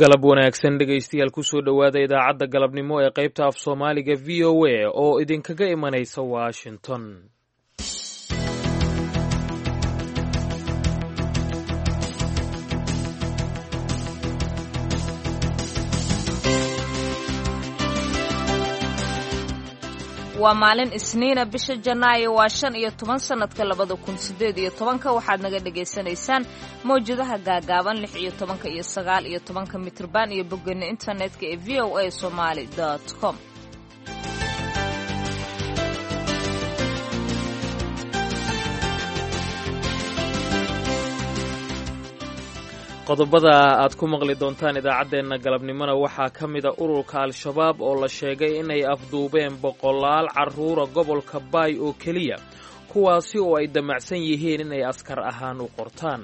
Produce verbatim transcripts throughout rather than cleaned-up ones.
Galab wanaagsan, dhegaystayaal, kusoo dhowaada idaacadda galabnimo ee qaybta af Soomaaliga V O A oo idinkaga imanaysa Washington. Waa maalin Isniina, bisha Janaayo waa shan iyo toban, sanadka labada kun sideed iyo tobanka. Waxaad naga dhagaysanaysaan mawjadaha gaagaaban, lix iyo tobanka iyo sagaal iyo tobanka mitrban, iyo boggeena internetka ee V O A Somaly com. Qodobada aad ku maqli doontaan idaacaddeenna galabnimona waxaa ka mida ururka Al-Shabaab oo la sheegay inay afduubeen boqolaal carruura gobolka Baay oo keliya, kuwaasi oo ay damacsan yihiin inay askar ahaan u qortaan.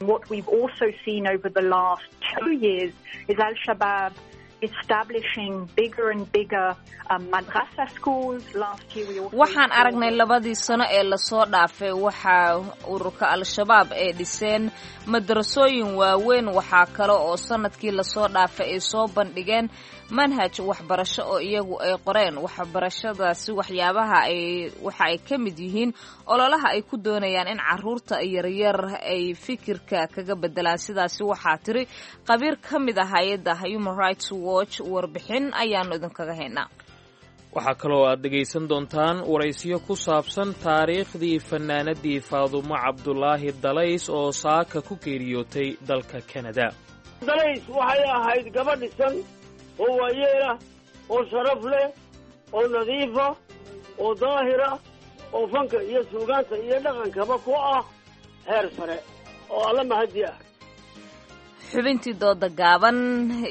What we've also seen over the last two years is Al-Shabaab establishing bigger and bigger um, madrasa schools. Last year we also Waxaan aragnay labadii sano ee lasoo dhaafay waxaa ururka Al-Shabaab ay dhiseen madrasooyin waaweyn. Waxaa kale oo sanadkii lasoo dhaafay ay soo bandhigeen manhaj waxbarasho oo iyagu ay qoreen. Waxbarashadaasi waxyaabaha ay waxa ay ka mid yihiin ololaha ay ku doonayaan in caruurta yaryar ay fikirka kaga bedelaan. Sidaasi waxaa tiri khabiir ka mid ah hay-adda Human Rights Watch. Warbixin ayaanu idinkaga haynaa. Waxaa kaloo aad dhegaysan doontaan waraysiyo ku saabsan taariikhdii fanaanadii Faadumo Cabdulaahi Dalays oo saaka ku geeriyootay dalka Kanada. Dalays waxay ahayd gabadh dhisan oo waayeelah oo sharaf leh oo nadiifa oo daahira oo fanka iyo suugaanta iyo dhaqankaba ku ah heer sare oo Alla mahadi ah. Xubintii dooda gaaban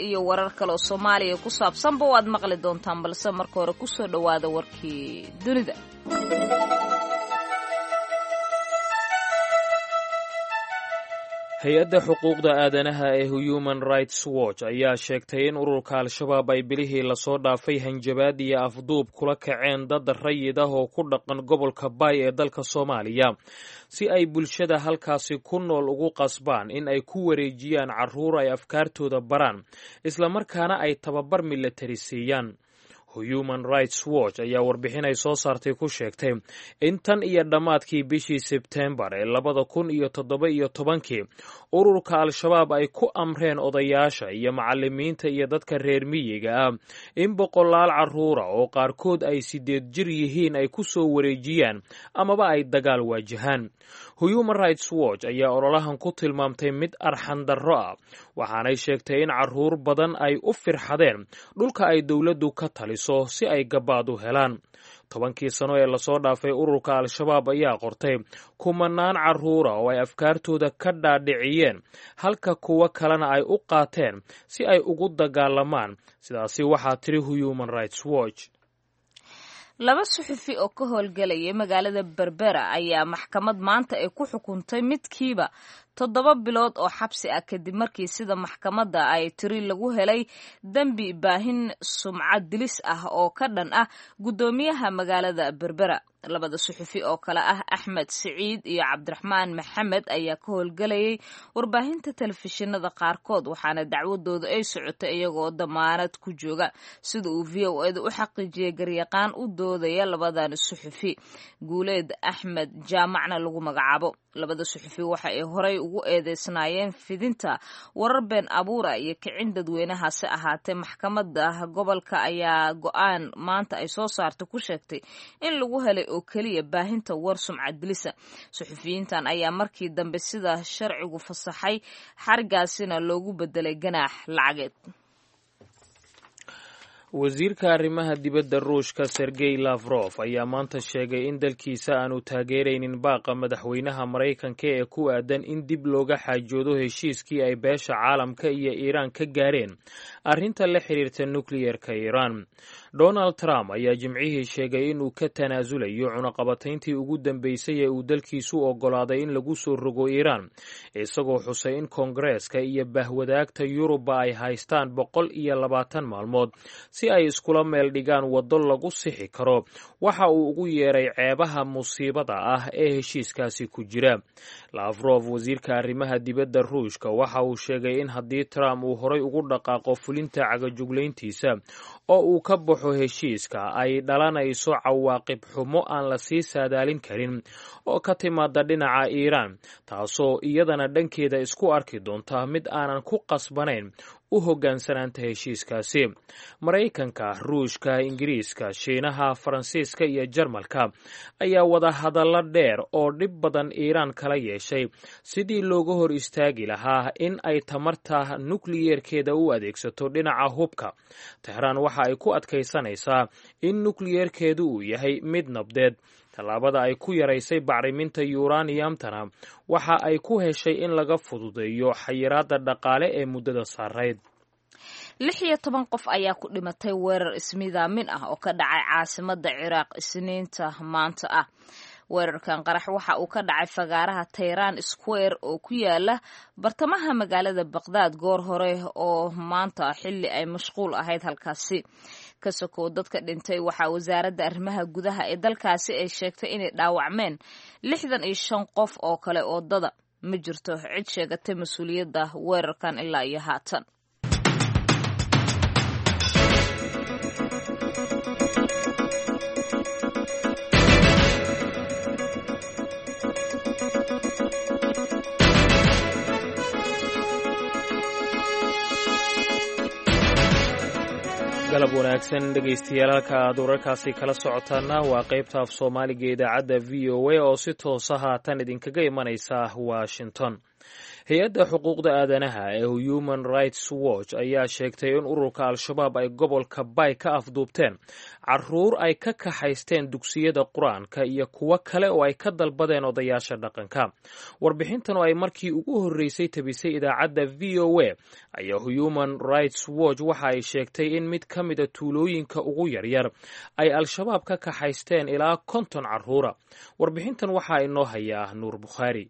iyo warar kale oo Soomaaliya ku saabsanba waad maqli doontaan, balse marka hore kusoo dhowaada warkii dunida. Hay-adda xuquuqda aadanaha ee Human Rights Watch ayaa sheegtay in ururka Al-Shabaab ay bilihii lasoo dhaafay hanjabaad iyo afduub kula kaceen dad rayid ah oo ku dhaqan gobolka Baay ee dalka Soomaaliya, si ay bulshada halkaasi ku nool ugu qasbaan in ay ku wareejiyaan carruur ay afkaartooda baraan, islamarkaana ay tababar milatari siiyaan. Human Rights Watch ayaa warbixin ay soo saartay ku sheegtay in tan iyo dhammaadkii bishii Sebtembar ee labada kun iyo toddoba iyo tobankii ururka Al-Shabaab ay ku amreen odayaasha iyo macalimiinta iyo dadka reer miyiga ah in boqolaal carruura oo qaarkood ay sideed jir yihiin ay ku soo wareejiyaan amaba ay dagaal waajahaan. Human Rights Watch ayaa ololahan ku tilmaamtay mid arxan darro ah, waxaanay sheegtay in carruur badan ay u firxadeen dhulka ay dowladdu ka taliso si ay gabaad u helaan. Tobankii sano ee lasoo dhaafay ururka Al-Shabaab ayaa qortay kumanaan carruura oo ay afkaartooda ka dhaadhiciyeen, halka kuwo kalena ay u qaateen si ay ugu dagaalamaan. Sidaasi waxaa tiri Human Rights Watch. Laba suxufi oo ka howlgelaya magaalada Berbera ayaa maxkamad maanta ay ku xukuntay midkiiba toddoba bilood oo xabsi ah, kadib markii, sida maxkamadda ay tiri, lagu helay dembi baahin sumcad dilis ah oo ka dhan ah guddoomiyaha magaalada Berbera. Labada suxufi oo kale ah Axmed Siciid iyo Cabdiraxmaan Maxamed ayaa ka howlgelayay warbaahinta telefishinada qaarkood, waxaana dacwadooda ay socotay iyagoo damaanad ku jooga, sida uu V O eda u xaqiijiyay garyaqaan u doodaya labadan suxufi, Guuleed Axmed Jaamacna lagu magacaabo. Labada suxufi waxa ay horay ugu eedeysnaayeen fidinta warar been abuura iyo kicin dadweynahaase ahaatee maxkamadda gobolka ayaa go-aan maanta ay soo saartay ku sheegtay in lagu helay oo keliya baahinta war sumcad dilisa. Suxufiyiintan ayaa markii dambe sida sharcigu fasaxay, xarigaasina loogu bedelay ganaax lacageed. Wasiirka arrimaha dibadda Ruushka Sergey Lafrof ayaa maanta sheegay in dalkiisa aanu taageeraynin baaqa madaxweynaha Maraykanka ee ku aadan in dib looga xaajoodo heshiiskii ay beesha caalamka iyo Iiraan ka gaareen arrinta la xiriirta nukliyerka Iiraan. Donald Trump ayaa Jimcihii sheegay inuu ka tanaasulayo cunaqabatayntii ugu dambeysay ee uu dalkiisu oggolaaday in lagu soo rogo Iiraan, isagoo xusay in Koongareeska iyo bahwadaagta Yurubba ay haystaan boqol iyo labaatan maalmood si ay iskula meel dhigaan waddo lagu sixi karo waxa uu ugu yeeray ceebaha musiibada ah ee heshiiskaasi ku jira. Lafrof, wasiirka arrimaha dibadda Ruushka, waxa uu sheegay in haddii Trump uu horay ugu dhaqaaqo fulinta cagajuglayntiisa oo uu ka baxo heshiiska, ay dhalanayso cawaaqib xumo aan la sii saadaalin karin oo ka timaada dhinaca Iiraan, taasoo iyadana dhankeeda isku arki doonta mid aanan ku qasbanayn u hoggaansanaanta heshiiskaasi. Maraykanka, Ruushka, Ingiriiska, Shiinaha, Faransiiska iyo Jarmalka ayaa wada hadallo dheer oo dhib badan Iiraan kala yeeshay sidii looga hor istaagi lahaa in ay tamarta nukliyeerkeeda u adeegsato dhinaca hubka. Tehraan waxa ay ku adkaysanaysaa in nukliyeerkeedu uu yahay mid nabdeed. Tallaabada ay ku yaraysay bacriminta yuraniyamtana waxa ay ku heshay in laga fududeeyo xayiraadda dhaqaale ee muddada saarayd. Lix iyo toban qof ayaa ku dhimatay weerar ismidaamin ah oo ka dhacay caasimadda Ciraaq Isniinta maanta ah. Weerarkan qarax waxa uu ka dhacay fagaaraha Tayran Square oo ku yaala bartamaha magaalada Baqdaad goor hore oo maanta, xilli ay mashquul ahayd halkaasi. Ka sokow dadka dhintay, waxaa wasaaradda arrimaha gudaha ee dalkaasi ay sheegtay inay dhaawacmeen lixdan iyo shan qof oo kale oo dada. Ma jirto cid sheegatay mas-uuliyadda weerarkan ilaa iyo haatan. Galab wanaagsan dhegaystayaal, halka aad wararkaasi kala socotaana waa qaybta af Soomaaliga idaacadda V O A oo si toosa haatan idinkaga imanaysa Washington. Hay-adda xuquuqda aadanaha ee Human Rights Watch ayaa sheegtay in ururka Al-Shabaab ay gobolka Bay ka afduubteen caruur ay ka kaxaysteen dugsiyada Qur-aanka iyo kuwo kale oo ay ka dalbadeen odayaasha dhaqanka. Warbixintan oo ay markii ugu horreysay tabisay idaacadda V O A ayaa Human Rights Watch waxa ay sheegtay in mid ka mida tuulooyinka ugu yaryar ay Al-Shabaab ka kaxaysteen ilaa konton caruura. Warbixintan waxaa inoo hayaa Nuur Bukhaari.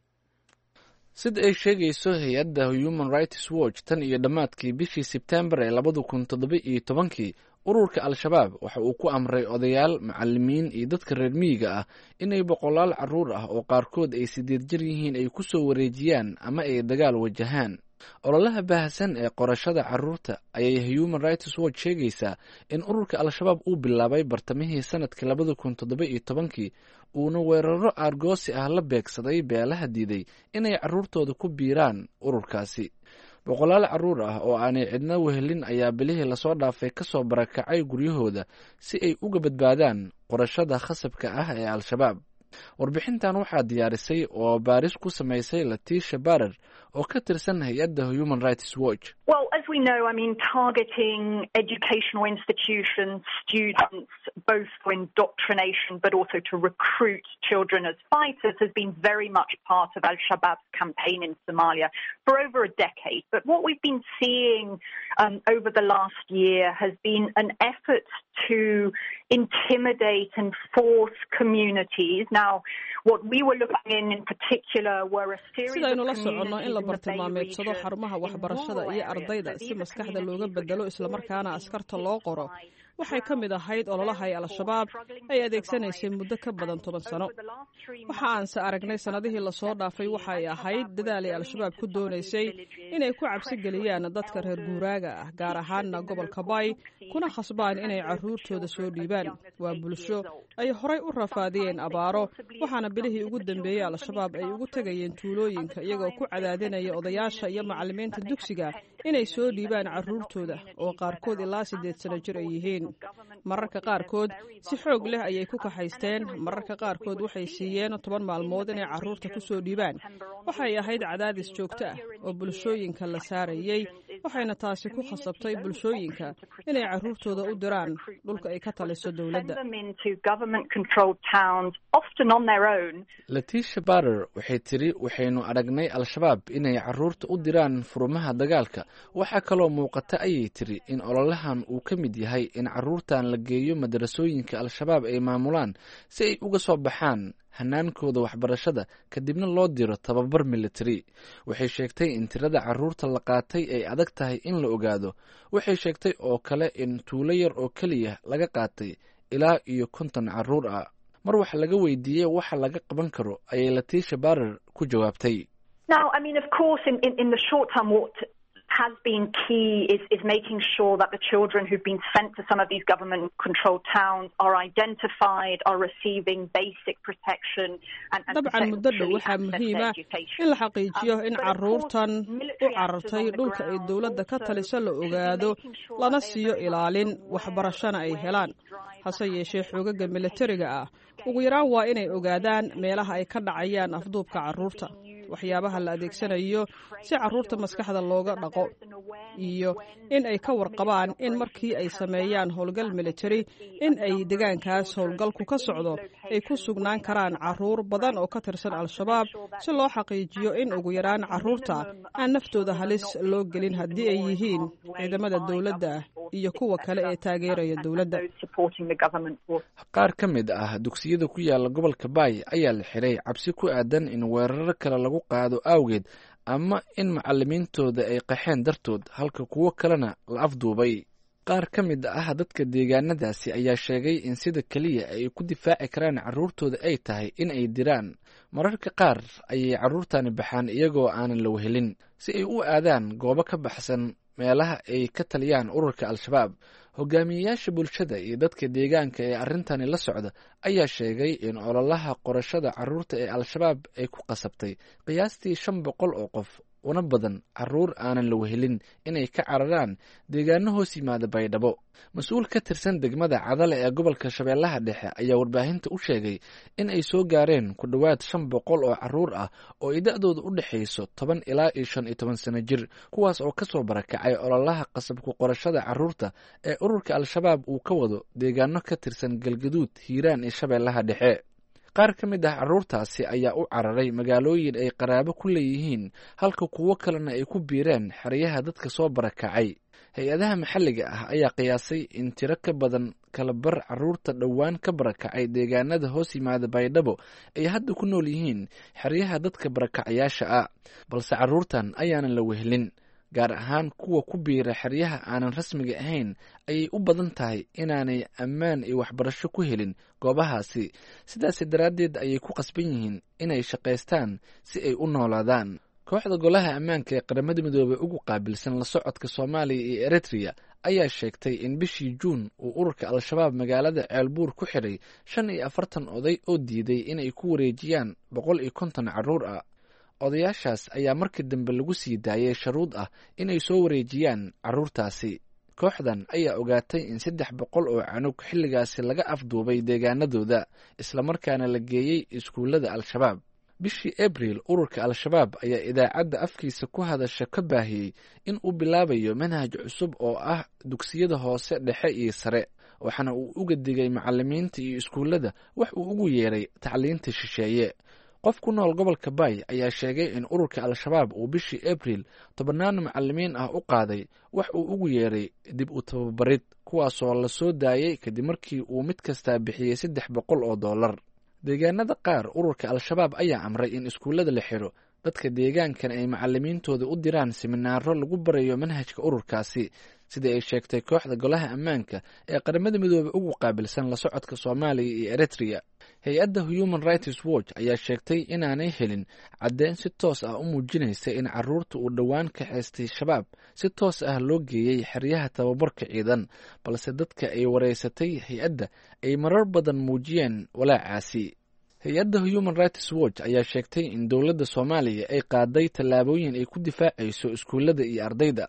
Sida ay sheegayso hay-adda Human Rights Watch, tan iyo dhammaadkii bishii Sebtembar ee labada kun toddoba iyo tobankii, ururka Al-Shabaab waxa uu ku amray odayaal, macalimiin iyo dadka reer miyiga ah inay boqolaal carruur ah oo qaarkood ay sideed jir yihiin ay ku soo wareejiyaan ama ay dagaal wajahaan. Ololaha baahsan ee qorashada carruurta ayay Human Rights Watch sheegaysaa in ururka Al-Shabaab uu bilaabay bartamihii sanadkii labada kun toddoba iyo tobankii, uuna weeraro aargoosi ah la beegsaday beelaha diiday inay carruurtooda ku biiraan ururkaasi. Boqolaal carruur ah oo aanay cidna wehelin ayaa bilihii lasoo dhaafay kasoo barakacay guryahooda si ay uga badbaadaan qorashada khasabka ah ee Al-Shabaab. Warbixintan waxaa diyaarisay oo baaris ku samaysay Latiisha Barer oo ka tirsan hay-adda Human Rights Watch. Well, as we know, I mean, targeting educational institutions, students, both for indoctrination but also to recruit children as fighters, has been very much part of Al-Shabaab's campaign in Somalia for over a decade. But what we've been seeing um, over the last year has been an effort to intimidate and force communities. Now, what we were looking in in particular were a series Sidaynu of la soconno, in la communities in the Bay bartilmaameedsado region xarumaha in waxbarashada rural iyo areas. ardayda So si these are maskaxda looga communities which bedelo have islamarkaana already been askarta hit loo qoro by waxay ka mid ahayd ololaha ay Al-Shabaab ay adeegsanaysay muddo ka badan toban sano. Waxa aanse aragnay sannadihii lasoo dhaafay waxa ay ahayd dadaal ay Al-Shabaab ku doonaysay inay ku cabsi geliyaan dadka reer guuraaga ah, gaar ahaanna gobolka Bay, kuna khasbaan inay carruurtooda soo dhiibaan. Waa bulsho ay horay u rafaadiyeen abaaro, waxaana bilihii ugu dambeeyey Al-Shabaab ay ugu tegayeen tuulooyinka iyagoo ku cadaadinaya odayaasha iyo macalimiinta dugsiga inay soo dhiibaan carruurtooda oo qaarkood ilaa siddeed sano jir ay yihiin. Mararka qaarkood si xoog leh ayay ku kaxaysteen, mararka qaarkood waxay siiyeen toban maalmood inay carruurta ku soo dhiibaan. Waxay ahayd cadaadis joogto ah oo bulshooyinka la saarayey. Waxayna taasi ku khasabtay bulshooyinka inay carruurtooda u diraan dhulka ay ka taliso dowladda. Letitia Barer waxay tiri, waxaynu aragnay Al-Shabaab inay carruurta u diraan furumaha dagaalka. Waxaa kaloo muuqata, ayay tiri, in ololahan uu ka mid yahay in carruurtan la geeyo madarasooyinka Al-Shabaab ay maamulaan si ay uga soo baxaan hanaankooda waxbarashada, kadibna loo diro tababar military. Waxay sheegtay in tirada carruurta la qaatay ay adag tahay in la ogaado. Waxay sheegtay oo kale in tuulo yar oo keliya laga qaatay ilaa iyo konton carruur ah. Mar wax laga weydiiyey waxa laga qaban karo, ayay Letitia Barer ku jawaabtay: Has been key is, is making sure that the children who've been sent to some of these government-controlled towns are identified, are receiving basic protection and, and Dabcan, muddo dhow waxaa muhiima in la xaqiijiyo in carruurtan u carartay dhulka ay dowladda ka taliso la ogaado, lana siiyo ilaalin, waxbarashana ay helaan. Hase yeeshee, xoogaga militariga ah ugu yaraan waa inay ogaadaan meelaha ay ka dhacayaan afduubka carruurta, waxyaabaha la adeegsanayo si carruurta maskaxda looga dhaqo, iyo in ay ka warqabaan in markii ay sameeyaan howlgal militari in ay degaankaas howlgalku ka socdo ay ku sugnaan karaan carruur badan oo ka tirsan Al-Shabaab, si loo xaqiijiyo in ugu yaraan carruurta aan naftooda halis loo gelin haddii ay yihiin ciidamada dowladda iyo kuwa kale ee taageeraya dowladda. Qaar ka mid ah dugsiyada ku yaala gobolka Baay ayaa la xiray cabsi ku aadan in weeraro kale lagu qaado awgeed ama in macalimiintooda ay qaxeen dartood, halka kuwo kalena la afduubay. Qaar ka mid ah dadka deegaanadaasi ayaa sheegay in sida keliya ay ku difaaci karaan carruurtooda ay tahay in ay diraan. Mararka qaar ayay carruurtani baxaan iyagoo aanan la wehelin si ay u aadaan goobo ka baxsan meelaha ay ka taliyaan ururka Al-Shabaab. Hogaamiyeyaasha bulshada iyo dadka deegaanka ee arrintani la socda ayaa sheegay in ololaha qorashada carruurta ee Al-Shabaab ay ku qasabtay qiyaastii shan boqol oo qof, una badan carruur aanan la wehelin, inay ka cararaan deegaano hoos yimaada Baydhabo. Mas-uul ka tirsan degmada Cadale ee gobolka Shabeellaha Dhexe ayaa warbaahinta u sheegay in ay soo gaareen ku dhowaad shan boqol oo carruur ah oo ay da-dooda u dhexayso toban ilaa iyo shan iyo toban sano jir, kuwaas oo kasoo barakacay ololaha qasabku qorashada carruurta ee ururka Al-Shabaab uu ka wado deegaano ka tirsan Galgaduud, Hiiraan iyo Shabeellaha Dhexe. Qaar ka mid ah carruurtaasi ayaa u cararay magaalooyin ay qaraabo ku leeyihiin, halka kuwo kalena ay ku biireen xeryaha dadka soo barakacay. Hay-adaha maxalliga ah ayaa qiyaasay in tiro ka badan kala bar carruurta dhowaan ka barakacay deegaanada hoos yimaada Baydhabo ay hadda ku nool yihiin xeryaha dadka barakacayaasha ah. Balse carruurtan ayaanan la wehelin, gaar ahaan kuwa ku biira xeryaha aanan rasmiga ahayn, ayay u badan tahay inaanay ammaan iyo waxbarasho ku helin goobahaasi. Sidaasi daraaddeed ayay ku qasban yihiin inay shaqaystaan si ay u noolaadaan. Kooxda Golaha Ammaanka ee Qaramada Midoobey ugu qaabilsan la socodka Soomaaliya iyo Eritrea ayaa sheegtay in bishii Juun uu ururka Al-Shabaab magaalada Ceelbuur ku xidhay shan iyo afartan oday oo diiday inay ku wareejiyaan boqol iyo konton carruur ah. Odayaashaas ayaa markii dambe lagu sii daayay sharuud ah inay soo wareejiyaan carruurtaasi. Kooxdan ayaa ogaatay in saddex boqol oo canug xilligaasi laga afduubay deegaanadooda, islamarkaana la geeyey iskuullada Al-Shabaab. Bishii Abriil, ururka Al-Shabaab ayaa idaacadda afkiisa ku hadasha ka baahiyey in uu bilaabayo manhaj cusub oo ah dugsiyada hoose, dhexe iyo sare, waxaana uu uga digay macalimiinta iyo iskuullada wax uu ugu yeeray tacliinta shisheeye. Qof ku nool gobolka Baay ayaa sheegay in ururka Al-Shabaab uu bishii Abriil tobannaan macalimiin ah u qaaday wax uu ugu yeeray dib u tababarid, kuwaasoo la soo daayay kadib markii uu mid kastaa bixiyey saddex boqol oo dollar. Deegaanada qaar, ururka Al-Shabaab ayaa amray in iskuullada la xiro, dadka deegaankan ay macalimiintooda u diraan siminaaro lagu barayo manhajka ururkaasi, sida ay sheegtay kooxda Golaha Ammaanka ee Qaramada Midoobey ugu qaabilsan la socodka Soomaaliya iyo Eritrea. Hay-adda Human Rights Watch ayaa sheegtay inaanay helin caddeyn si toos ah u muujinaysa in carruurta uu dhowaan kaxaystay Shabaab si toos ah loo geeyey xeryaha tababarka ciidan, balse dadka ay wareysatay hay-adda ay marar badan muujiyeen walaacaasi. Hay-adda Human Rights Watch ayaa sheegtay in dowladda Soomaaliya ay qaaday tallaabooyin ay ku difaacayso iskuullada iyo ardayda.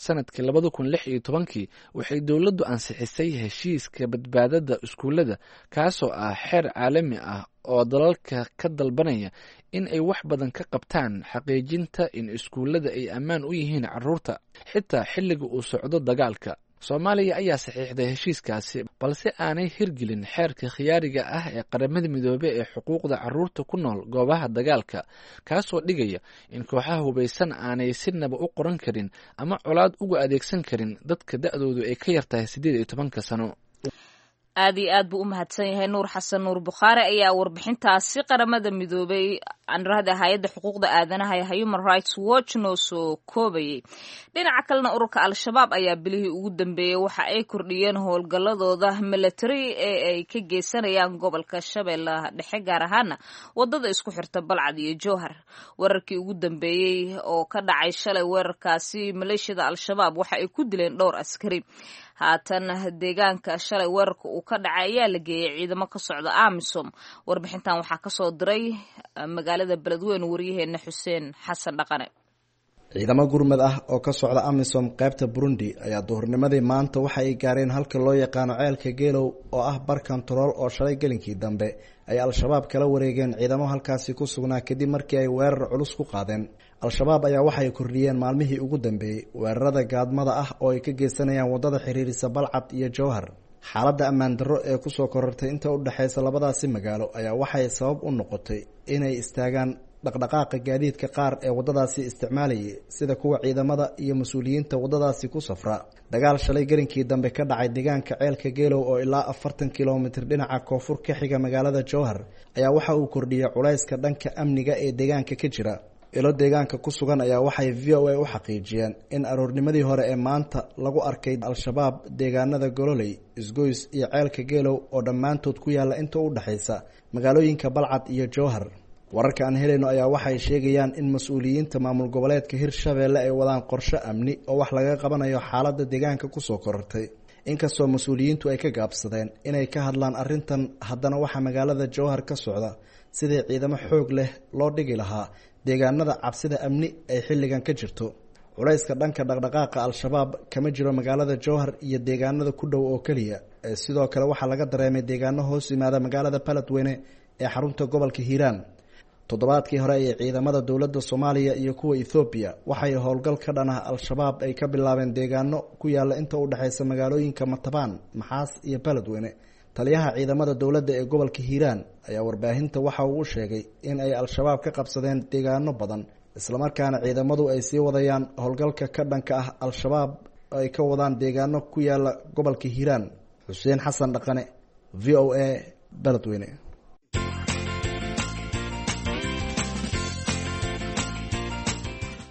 Sanadkii labada kun lix iyo tobankii waxay dowladdu ansixisay heshiiska badbaadada iskuullada, kaasoo ah xeer caalami ah oo dalalka ka dalbanaya in ay wax badan ka qabtaan xaqiijinta in iskuullada ay ammaan u yihiin carruurta xitaa xilliga uu socdo dagaalka. Soomaaliya ayaa saxiixday heshiiskaasi, balse aanay hirgelin xeerka khiyaariga ah ee Qaramada Midoobey ee xuquuqda carruurta ku nool goobaha dagaalka, kaasoo dhigaya in kooxaha hubaysan aanay sinaba u qoran karin ama colaad uga adeegsan karin dadka da-doodu ay ka yartahay siddeed iyo tobanka sano. Aad iyo aad buu u mahadsan yahay Nuur Xasan Nuur Bukhaari ayaa warbixintaasi Qaramada Midoobay, anrahda hay-adda xuquuqda aadanaha ee Human Rights Watch, noo soo koobayay. Dhinaca kalena, ururka Al-Shabaab ayaa bilihii ugu dambeeyey waxa ay kordhiyeen howlgalladooda milatary ee ay ka geysanayaan gobolka Shabeellaha Dhexe, gaar ahaana wadada isku xirta Balcad iyo Jowhar. Weerarkii ugu dambeeyey oo ka dhacay shalay, weerarkaasi maleeshiyada Al-Shabaab waxa ay ku dileen dhowr askari. Haatan deegaanka shalay weerarka uu ka dhacay ayaa la geeyey ciidamo ka socda AMISOM. Warbixintan waxaa kasoo diray magaalada Beledweyne waryaheena Xuseen Xasan Dhaqane. Ciidamo gurmad ah oo ka socda AMISOM qaybta Burundi ayaa duhurnimadii maanta waxa ay gaareen halka loo yaqaano Ceelka Geelow, oo ah bar kontarool oo shalay gelinkii dambe ay Al-Shabaab kala wareegeen ciidamo halkaasi ku sugnaa, kadib markii ay weerar culus ku qaadeen. Al-Shabaab ayaa waxay kordhiyeen maalmihii ugu dambeeyey weerarada gaadmada ah oo ay ka geysanayaan wadada xiriirisa Balcad iyo Jowhar. Xaaladda ammaan darro ee kusoo korortay inta u dhexeysa labadaasi magaalo ayaa waxay sabab u noqotay inay istaagaan dhaqdhaqaaqa gaadiidka qaar ee waddadaasi isticmaalayay, sida kuwa ciidamada iyo mas-uuliyiinta waddadaasi ku safra. Dagaal shalay gelinkii dambe ka dhacay deegaanka Ceelka Geelow, oo ilaa afartan kilomitir dhinaca koonfur ka xiga magaalada Jowhar, ayaa waxa uu kordhiyey culayska dhanka amniga ee deegaanka ka jira. Ilo deegaanka ku sugan ayaa waxay V O A u xaqiijiyeen in aroornimadii hore ee maanta lagu arkay Al-Shabaab deegaanada Gololey, Isgoys iyo Ceelka Geelow, oo dhammaantood ku yaalla inta u dhexaysa magaalooyinka Balcad iyo Jowhar. Wararka aan helayno ayaa waxay sheegayaan in mas-uuliyiinta maamul goboleedka Hirshabeelle ay wadaan qorshe amni oo wax laga qabanayo xaaladda deegaanka kusoo korortay. Inkastoo mas-uuliyiintu ay ka gaabsadeen inay ka hadlaan arrintan, haddana waxaa magaalada Jowhar ka socda sidii ciidamo xoog leh loo dhigi lahaa deegaanada cabsida amni ay xilligan ka jirto. Culayska dhanka dhaqdhaqaaqa Al-Shabaab kama jiro magaalada Jowhar iyo deegaanada ku dhow oo keliya, sidoo kale waxaa laga dareemay deegaano hoos yimaada magaalada Baladweyne ee xarunta gobolka Hiiraan. Toddobaadkii hore ee ciidamada dowladda Soomaaliya iyo kuwa Ethoobiya waxay howlgal ka dhan ah Al-Shabaab ay ka bilaabeen deegaano ku yaala inta u dhexeysa magaalooyinka Matabaan, Maxaas iyo Baladweyne. Taliyaha ciidamada dowladda ee gobolka Hiiraan ayaa warbaahinta waxa uu u sheegay in ay Al-Shabaab ka qabsadeen deegaano badan, islamarkaana ciidamadu ay sii wadayaan howlgalka ka dhanka ah Al-Shabaab ay ka wadaan deegaano ku yaala gobolka Hiiraan. Xuseen Xasan Dhaqane, V O A, Baladweyne.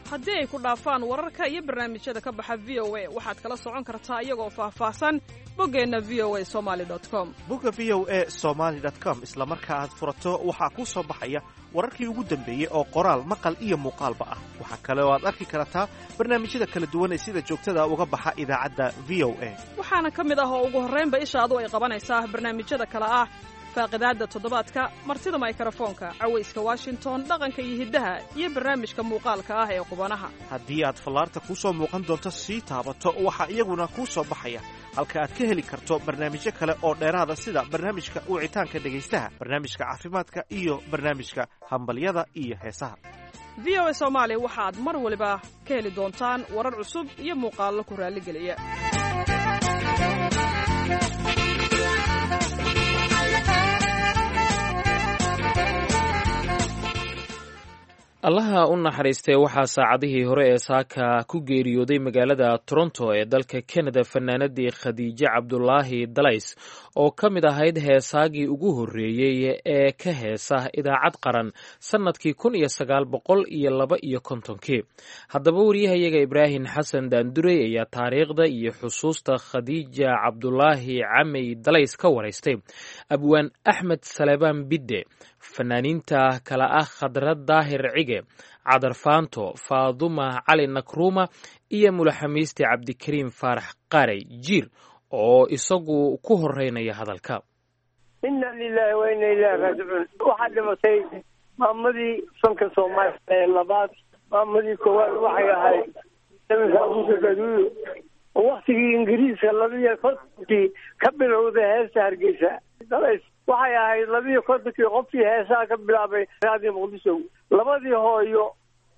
Haddii ay ku dhaafaan wararka iyo barnaamijyada ka baxa V O A, waxaad kala socon kartaa iyagoo faahfaahsan boggeenna V O A somaly com. Bogga V O A somaly com isla marka aad furato waxaa kuu soo baxaya wararkii ugu dambeeyey oo qoraal, maqal iyo muuqaalba ah. Waxaa kale oo aad arki kartaa barnaamijyada kala duwan ee sida joogtada uga baxa idaacadda V O A. Waxaana ka mid ah oo ugu horraynba ishaadu ay qabanaysaa barnaamijyada kale ah faaqidaadda toddobaadka, martida maykarafoonka, cawayska Washington, dhaqanka iyo hiddaha, iyo barnaamijka muuqaalka ah ee qubanaha. Haddii aad fallaarta kuu soo muuqan doonto sii taabato, waxaa iyaguna kuu soo baxaya halka aad ka heli karto barnaamijyo kale oo dheeraada, sida barnaamijka wicitaanka dhegaystaha, barnaamijka caafimaadka iyo barnaamijka hambalyada iyo heesaha. V O A Soomaali waxaad mar waliba ka heli doontaan warar cusub iyo muuqaallo ku raalligeliya. Allaha u naxariistee, waxaa saacadihii hore ee saaka ku geeriyooday magaalada Toronto ee dalka Canada fanaanadii Khadiije Cabdulaahi Dalays, oo ka mid ahayd heesaagii ugu horreeyey ee ka heesa idaacad qaran sannadkii kun iyo sagaal boqol iyo laba iyo kontonkii. Haddaba wariyahayaga Ibraahim Xasan Daandurey ayaa taariikhda iyo xusuusta Khadiija Cabdulaahi Camey Dalays ka waraystay Abwaan Axmed Salebaan Bidde, fanaaniinta kala ah Khadra Daahir Cige, Cadar Faanto, Faaduma Cali Nakruuma iyo mulaxamiiste Cabdikariim Faarax Qaarey Jiir, oo isagu ku horeynaya hadalka. Inna lilahi wa inna ilahi raajicuun. Waxaa dhimatay maamadii fanka Soomaaliya ee labaad. Maamadii koowaad waxay ahayd Abuuka Gaduudo, oo waktigii Ingiriiska labiyo kontonkii ka bilowday heesta Hargeysa. Dalays Waxay ahayd labiiyo kontonkii qofkii heesaha ka bilaabay Raadiyo Muqdisho. Labadii hooyo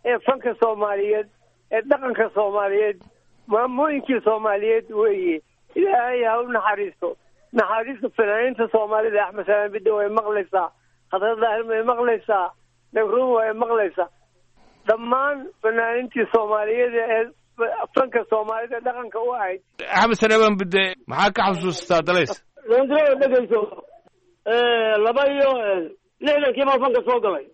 ee fanka Soomaaliyeed ee dhaqanka Soomaaliyeed, maamooyinkii Soomaaliyeed weeye. Ilaahay ha u naxariisto. Naxariista fanaaniinta Soomaalida Axmed Salaan Bidde way maqlaysaa, Khadra Daahir way maqlaysaa, Nagruum way maqlaysaa, dhammaan fanaaniintii Soomaaliyeed ee fanka Soomaalida dhaqanka u ahayd. Axmed Saleebaan Bidde, maxaa ka xasuustaa Dalays? Londreo dhegeyso, laba iyo lixdankii baan fanka soo galay.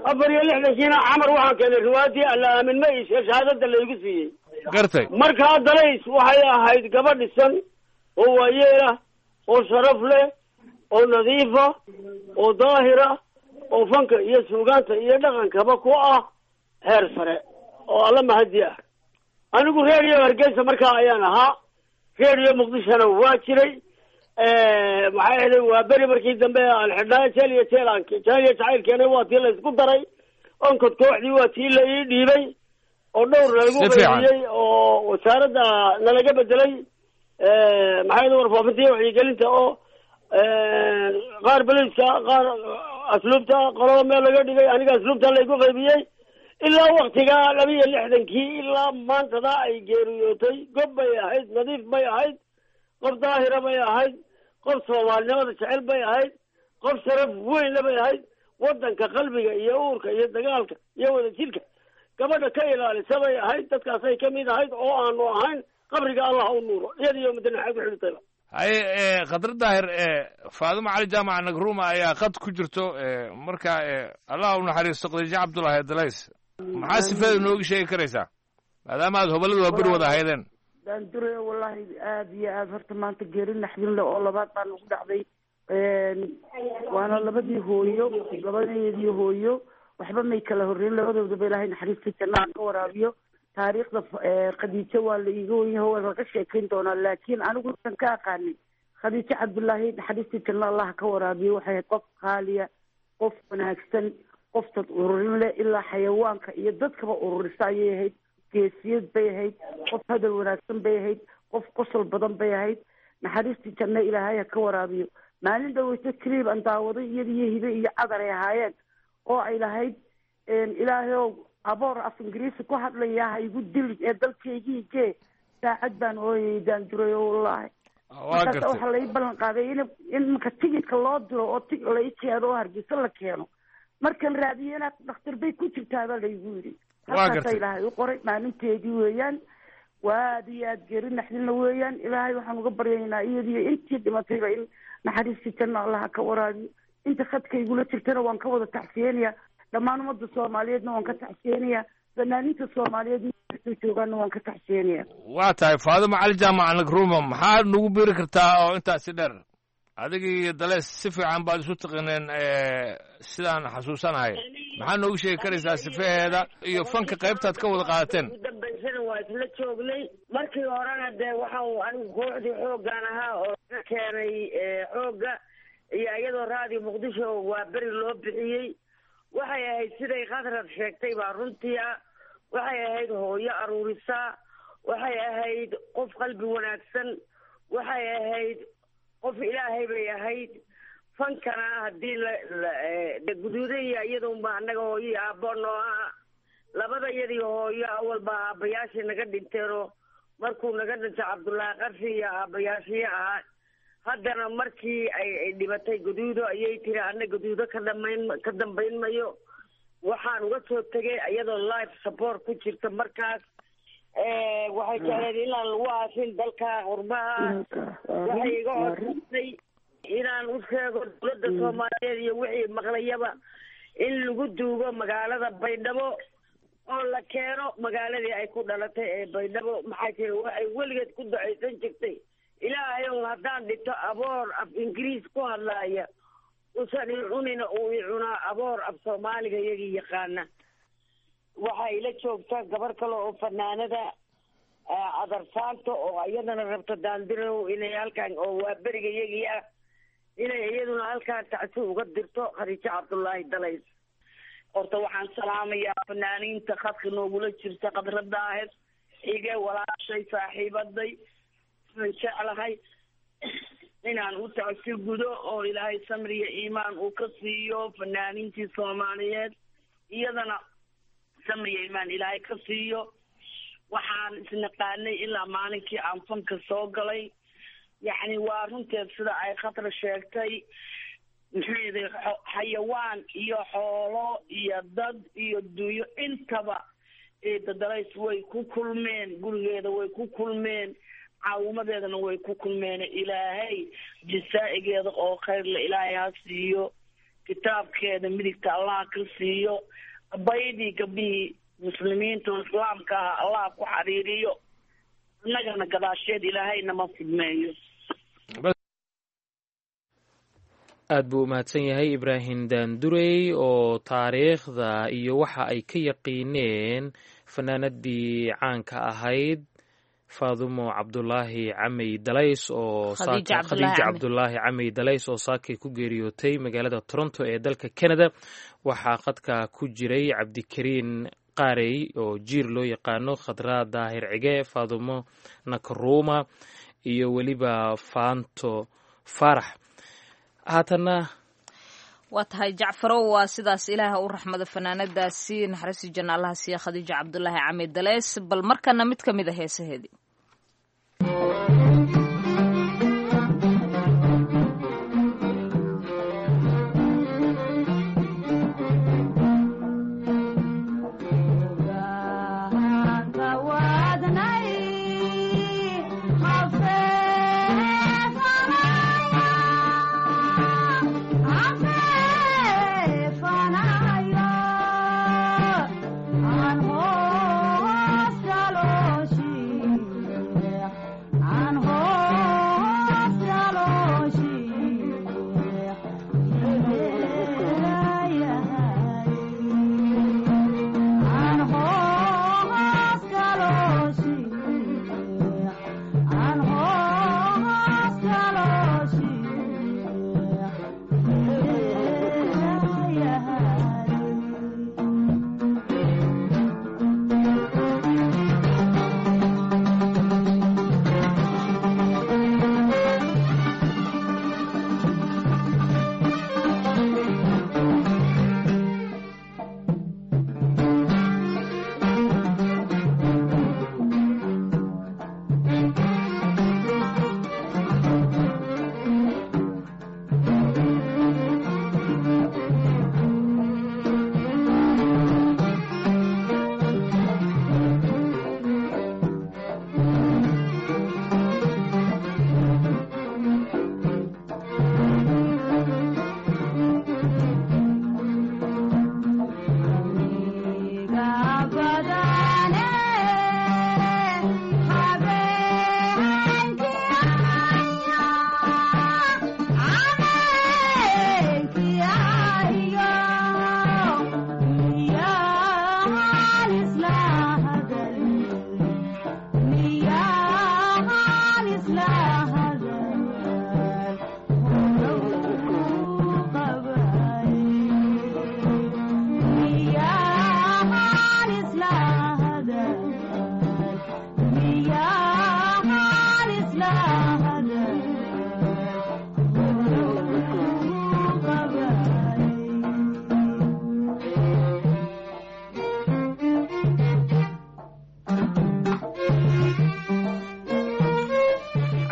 Afar iyo lixdankiina Camar waxaan keenay riwaayadii Alla Aamin Ma Iishe, shahaadada laygu siiyey. Gartay. Markaa Dalays waxay ahayd gabadh dhisan oo waayeelah oo sharaf leh oo nadiifa oo daahira oo fanka iyo suugaanta iyo dhaqankaba ku ah heer sare oo alla mahadi ah. Anigu Reeriyo Hargeysa markaa ayaan ahaa, Reeriyo Muqdishona waa jiray. Maxay ahayd, waa beri markii dambe aan xidhnaa jeel iyo jeel aan jeel iyo jacayl keenay, waa tii la isku daray. Onkod kooxdii waa tii la ii dhiibay oo dhowr nalagu qaybiyey oo wasaaradda nalaga bedelay, maxay ahayd, warfaafinta iyo wacyigelinta, oo qaar beliska, qaar asluubta, qolada meel laga dhigay. Aniga asluubta laygu qaybiyey. Ilaa waktigaa laba iyo lixdankii ilaa maantada ay geeriyootay, gob bay ahayd, nadiif bay ahayd, qof daahira bay ahayd, qof soomaalinimada jecel bay ahayd, qof sharaf weynna bay ahayd. Waddanka qalbiga iyo uurka iyo dagaalka iyo wadajirka gabadha ka ilaalisa bay ahayd. Dadkaasay ka mid ahayd oo aanu ahayn. Qabriga Allah u nuuro, iyada iyo mudane xag ku xidhitayba. Haye, Khadra Daahir, Faadimo Cali Jaamac Nagruuma ayaa qad ku jirto. Marka Allah u naxariisto Khadiijo Cabdullaahi Dalays, maxaa sifeeda nooga sheegi karaysaa maadaama aad hobalada waa beri wada ahaydeen? Daandure, wallahi aada iyo aada horta maanta geeri naxdin leh oo labaad baa nagu dhacday. Waana labadii hooyo, labadeedii hooyo waxba may kala horreyn, labadoodaba Ilaahay naxariistii jannaha ka waraabiyo. Taariikhda Khadiijo waa la iiga wenyaho, waa laga sheekayn doonaa, laakiin anigu san ka aqaanin Khadiijo Cabdullaahi naxariistii janna Allah ka waraabiyo. Waxay ahayd qof qaaliya, qof wanaagsan, qof dad ururin leh, ilaa xayawaanka iyo dadkaba ururisa ayay ahayd. Geesiyad bay ahayd, qof hadal wanaagsan bay ahayd, qof qosol badan bay ahayd. Naxariistii janno Ilaahay ha ka waraabiyo. Maalin dhaweyto clib aan daawaday, iyada iyo Hibe iyo Cadar ay ahaayeen, oo ay lahayd "Ilaahayow, aboor af Ingiriisi ku hadlaya ha igu dilin ee dalkaygii gee", saacad baan ooyay Daanduray oo wallaahi. Markaas waxaa lai ballan qaaday in in marka tigidka loo diro oo tig lai keeno oo Hargeysa la keeno. Markan raadiyena dhakhtar bay ku jirtaa baa laygu yidhi. Halkaasa Ilaahay u qoray maalinteedii weeyaan. Waa aada iyo aada geeri naxdinla weeyaan. Ilaahay waxaan uga baryaynaa iyadiyo intii dhimatayba in naxariistii janna Allaha ka waraabiyo. Inta khadka igula jirtana waan ka wada tacsiyeynayaa, dhammaan ummadda Soomaaliyeedna waan ka tacsiyeynayaa, fanaaniinta Soomaaliyeed meelkastoo joogaanna waan ka tacsiyeynayaa. Waa tahay. Faadimo Cali Jaamac Nagruuma, maxaad nagu biiri kartaa oo intaasi dheer? Adiga iyo Daleys si fiican baad isu taqineen sidaan xasuusanahay. Maxaa noogu sheegi karaysaa sifaheeda iyo fanka qaybtaad ka wada qaadateen? Ugu dambaysana waa isla joognay. Markii horena dee waxa uu anigu kooxdii xooggaan ahaa oo ka keenay xoogga iyo iyadoo Raadiyo Muqdisho waa beri loo bixiyey. Waxay ahayd siday Khadrad sheegtay baa runtii ah. Waxay ahayd hooyo aruurisa, waxay ahayd qof qalbi wanaagsan, waxay ahayd qof Ilaahay bay ahayd. Fankana haddii la guduudaya iyadounba annaga hooyo iyo aabbo noo ah, labada iyadii hooyo awalba aabbayaashii naga dhinteenoo markuu naga dhintay Cabdullaahi Qarshi iyo aabbayaashii ahaa. Haddana markii ay dhibatay Guduudo ayay tiri anna Guduudo ka dhamayn ka dambayn mayo. Waxaan uga soo tegay iyadoo life support ku jirta. Markaas waxay jecleed inaan lagu aasin dalka qurbaha. Waxay iga codsatay inaan u sheego dowladda Soomaaliyeed iyo wixii maqlayaba in lagu duugo magaalada Baydhabo oo la keeno magaaladii ay ku dhalatay ee Baydhabo. Maxaa jira, waxay weligeed ku ducaysan jirtay "Ilaahay ow, haddaan dhinto aboor af Ingiriis ku hadlaaya usan i cunina, uu i cunaa aboor af Soomaaliga iyagii yaqaana". Waxaa ila joogta gabar kale oo fanaanada Cadarsaanto oo iyadana rabta Daandirow inay halkan oo waa beriga iyagii ah inay iyaduna halkan tacsi uga dirto Khadiijo Cabdullaahi Dalays. Horta waxaan salaamayaa fanaaniinta khadka noogula jirta, Khadra Daahir Xige, walaashay, saaxiibaday, aan jeclahay. Inaan u tacsi gudo oo Ilaahay samriya iimaan uu ka siiyo fanaaniintii Soomaaliyeed, iyadana samriya iimaan Ilaahay ka siiyo. Waxaan isnaqaanay ilaa maalinkii aan fanka soo galay. Yacni waa runteed sida ay Khatra sheegtay, muxuu xayawaan iyo xoolo iyo dad iyo dunyo intaba Eedda Dalays way ku kulmeen, gurigeeda way ku kulmeen, caawimadeedana way ku kulmeen. Ilaahay jisaa'igeeda oo khayrle Ilaahay ha siiyo, kitaabkeeda midigta Allah ka siiyo, abaydii gabdhihii muslimiinta oo islaamka ah Allah ku xariiriyo, annagana gadaasheed Ilaahayna ma fidmeeyo. Aad buu u mahadsan yahay Ibraahim Daandurey oo taariikhda iyo waxa ay ka yaqiineen fanaanadii caanka ahayd Faadumo Cabdulaahi Camey Dalays oo Khadiija Khadiija Cabdulaahi Camey Dalays oo saakay ku geeriyootay magaalada Toronto ee dalka Canada. Waxaa khadka ku jiray Cabdikariin Qaarey oo Jiir loo yaqaano, Khadraa Daahir Cige, Faadumo Nakaruuma iyo weliba Faanto Faarax. Haatanna Waa tahay Jacfarow, waa sidaas. Ilaaha u raxmado fanaanadaasi, naxariisi janna Allaha siiya Khadiija Cabdulaahi Cami Daleys. Bal markana mid ka mid a heesaheedii.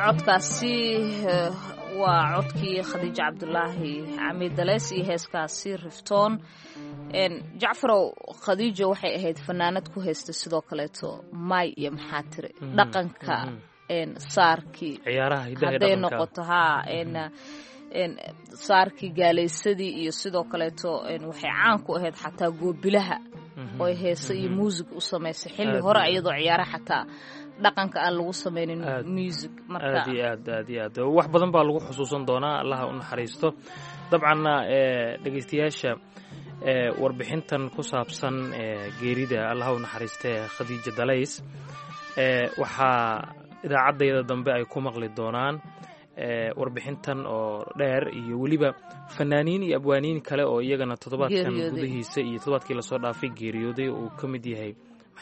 Codkaasi waa codkii Khadiija Cabdulaahi Cami Daleys iyo heeskaasi Riftoon. Jacfarow, Khadiija waxay ahayd fanaanad ku haysta sidoo kaleeto may iyo maxaa tiri dhaqanka saarkii hadday noqoto haa saarkii gaalaysadii iyo sidoo kaleeto waxay caan ku ahayd xataa goobilaha oo heese iyo muusig u samaysay xilli hore, iyadoo ciyaara xataa dhaqanka aan lagu samaynin music. Marka aad iyo aad aad iyo aad wax badan baa lagu xusuusan doonaa, Allaha u naxariisto. Dabcanna dhegeystayaasha, warbixintan ku saabsan geerida Allaha u naxariistee Khadiija Dalays waxaa idaacaddayda dambe ay ku maqli doonaan warbixintan oo dheer iyo weliba fanaaniin iyo abwaaniin kale oo iyagana toddobaadkan gudihiisa iyo toddobaadkii lasoo dhaafay geeriyooday oo uu ka mid yahay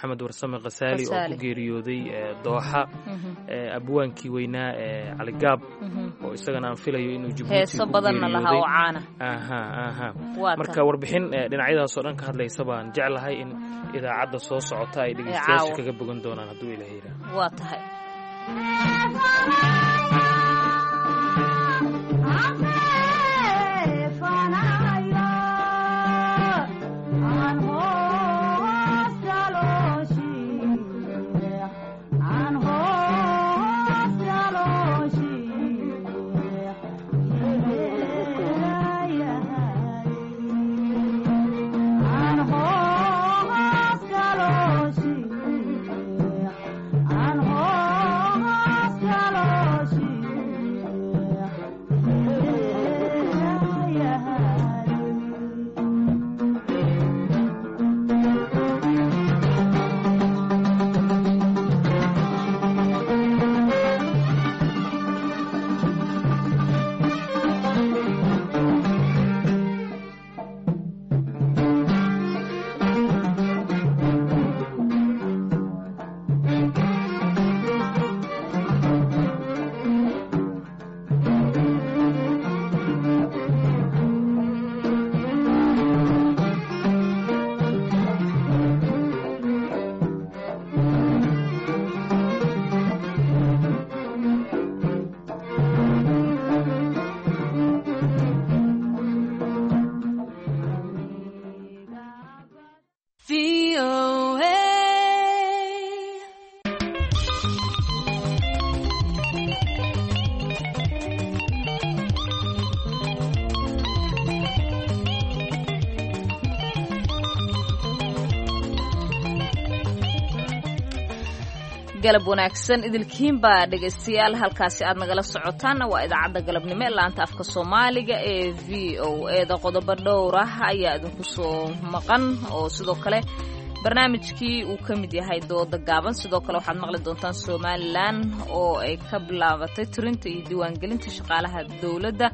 Maxamed Warsame Khasaali oo ku geeriyooday dooxa, abwaankii weynaa ee Caligaab oo isagana aan filayo inuu Jabuuti ku geeriyooday. Aha aha, marka warbixin dhinacyadaasoo dhan ka hadlaysa baan jeclahay in idaacadda soo socota ay dhegeystayaasha kaga bogan doonaan hadduu Ilaah yidhaah. Waa tahay. Galab wanaagsan idilkiinbaa dhegaystayaal, halkaasi aad nagala socotaanna waa idaacadda galabnimo ee laanta afka Soomaaliga ee V O E da. Qodobo dhowr ah ayaa idinku soo maqan oo sidoo kale barnaamijkii uu ka mid yahay dooda gaaban. Sidoo kale waxaad maqli doontaan Somalilan oo ay ka bilaabatay tirinta iyo diiwaangelinta shaqaalaha dowladda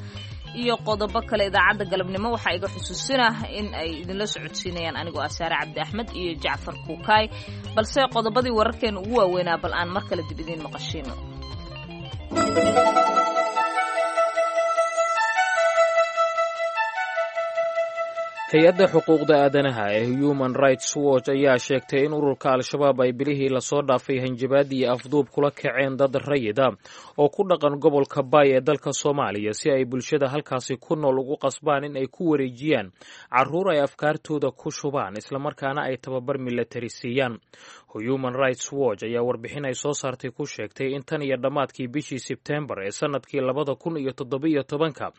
iyo qodobo kale. Idaacadda galabnimo waxaa iga xusuusinah in ay idinla socodsiinayaan anigoo ah Saare Cabdi Axmed iyo Jacfar Kuukaay, balse qodobadii wararkeena ugu waaweynaa bal aan mar kale dib idiin maqashiino. Hay-adda xuquuqda aadanaha ee Human Rights Watch ayaa sheegtay in ururka Al-Shabaab ay bilihii lasoo dhaafay hanjabaad iyo afduub kula kaceen dad rayida oo ku dhaqan gobolka Baay ee dalka Soomaaliya, si ay bulshada halkaasi ku nool ugu qasbaan in ay ku wareejiyaan carruur ay afkaartooda ku shubaan, islamarkaana ay tababar milatari siiyaan. Human Rights Watch ayaa warbixin ay soo saartay ku sheegtay in tan iyo dhammaadkii bishii Sebtembar ee sanadkii labada kun iyo toddobiyo tobanka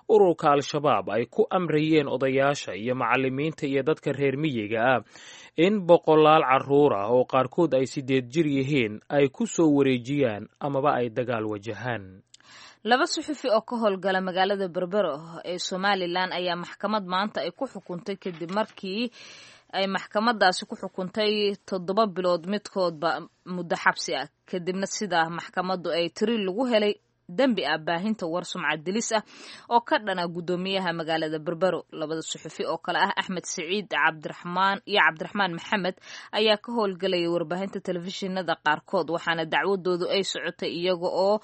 ururka Al-Shabaab ay ku amrayeen odayaasha iyo macallimiinta iyo dadka reer miyiga ah in boqolaal carruur ah oo qaarkood ay sideed jir yihiin ay ku soo wareejiyaan amaba ay dagaal wajahaan. Laba suxufi oo ka howlgala magaalada Berbero ee Somalilan ayaa maxkamad maanta ay ku xukuntay kadib markii ay maxkamadaasi ku xukuntay toddoba bilood midkoodba muddo xabsi ah, kadibna sidaa maxkamaddu ay tiri lagu helay dembi ah baahinta war sumcad dilis ah oo ka dhana guddoomiyaha magaalada Berbero. Labada suxufi oo kale ah Axmed Siciid Cabdiraxmaan iyo Cabdiraxmaan Maxamed ayaa ka howlgalayay warbaahinta telefishinada qaarkood, waxaana dacwadoodu ay socotay iyaga oo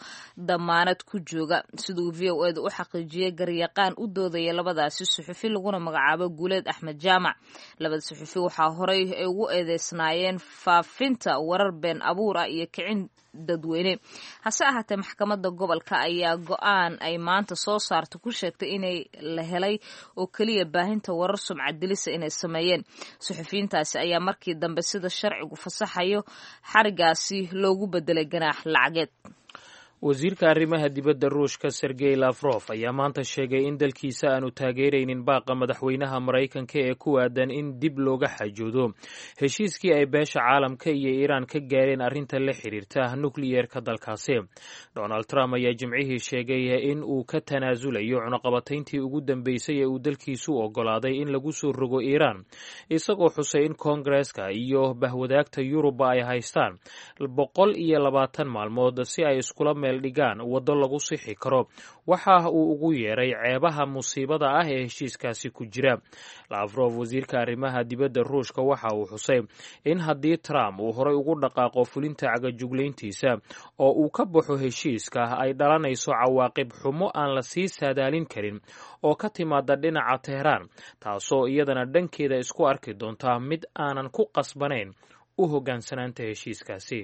damaanad ku jooga. Siduu V O eda u xaqiijiyay garyaqaan u doodaya labadaasi suxufi laguna magacaabo Guuleed Axmed Jaamac, labada suxufi waxaa horey ay ugu eedeysnaayeen faafinta warar been abuur ah iyo kicin dadweyne. Hase ahaatee maxkamadda gobolka ayaa go-aan ay maanta soo saarta ku sheegtay inay la helay oo keliya baahinta warar sumcad dilisa inay sameeyeen. Suxufiyiintaasi ayaa markii dambe sida sharcigu fasaxayo xarigaasi loogu bedelay ganaax lacageed. Wasiirka arrimaha dibadda Ruushka Sergey Lafrof ayaa maanta sheegay in dalkiisa aanu taageeraynin baaqa madaxweynaha Maraykanka ee ku aadan in dib looga xajoodo heshiiskii ay beesha caalamka iyo Iiraan ka gaareen arrinta la xiriirta nukliyeerka dalkaasi. Donald Trump ayaa Jimcihii sheegay in uu ka tanaasulayo cunaqabatayntii ugu dambeysay ee uu dalkiisu ogolaaday in lagu soo rogo Iiraan, isagoo xusay in Koongareeska iyo bahwadaagta Yurubba ay haystaan boqol iyo labaatan maalmood si ay iskula meel dhigaan waddo lagu sixi karo waxa uu ugu yeeray ceebaha musiibada ah ee heshiiskaasi ku jira. Lafrof, wasiirka arrimaha dibadda Ruushka, waxa uu xusay in haddii Trump uu horay ugu dhaqaaqo fulinta cagajuglayntiisa oo uu ka baxo heshiiska, ay dhalanayso cawaaqib xumo aan la sii saadaalin karin oo ka timaada dhinaca Tehraan, taasoo iyadana dhankeeda isku arki doontaa mid aanan ku qasbanayn u hoggaansanaanta heshiiskaasi.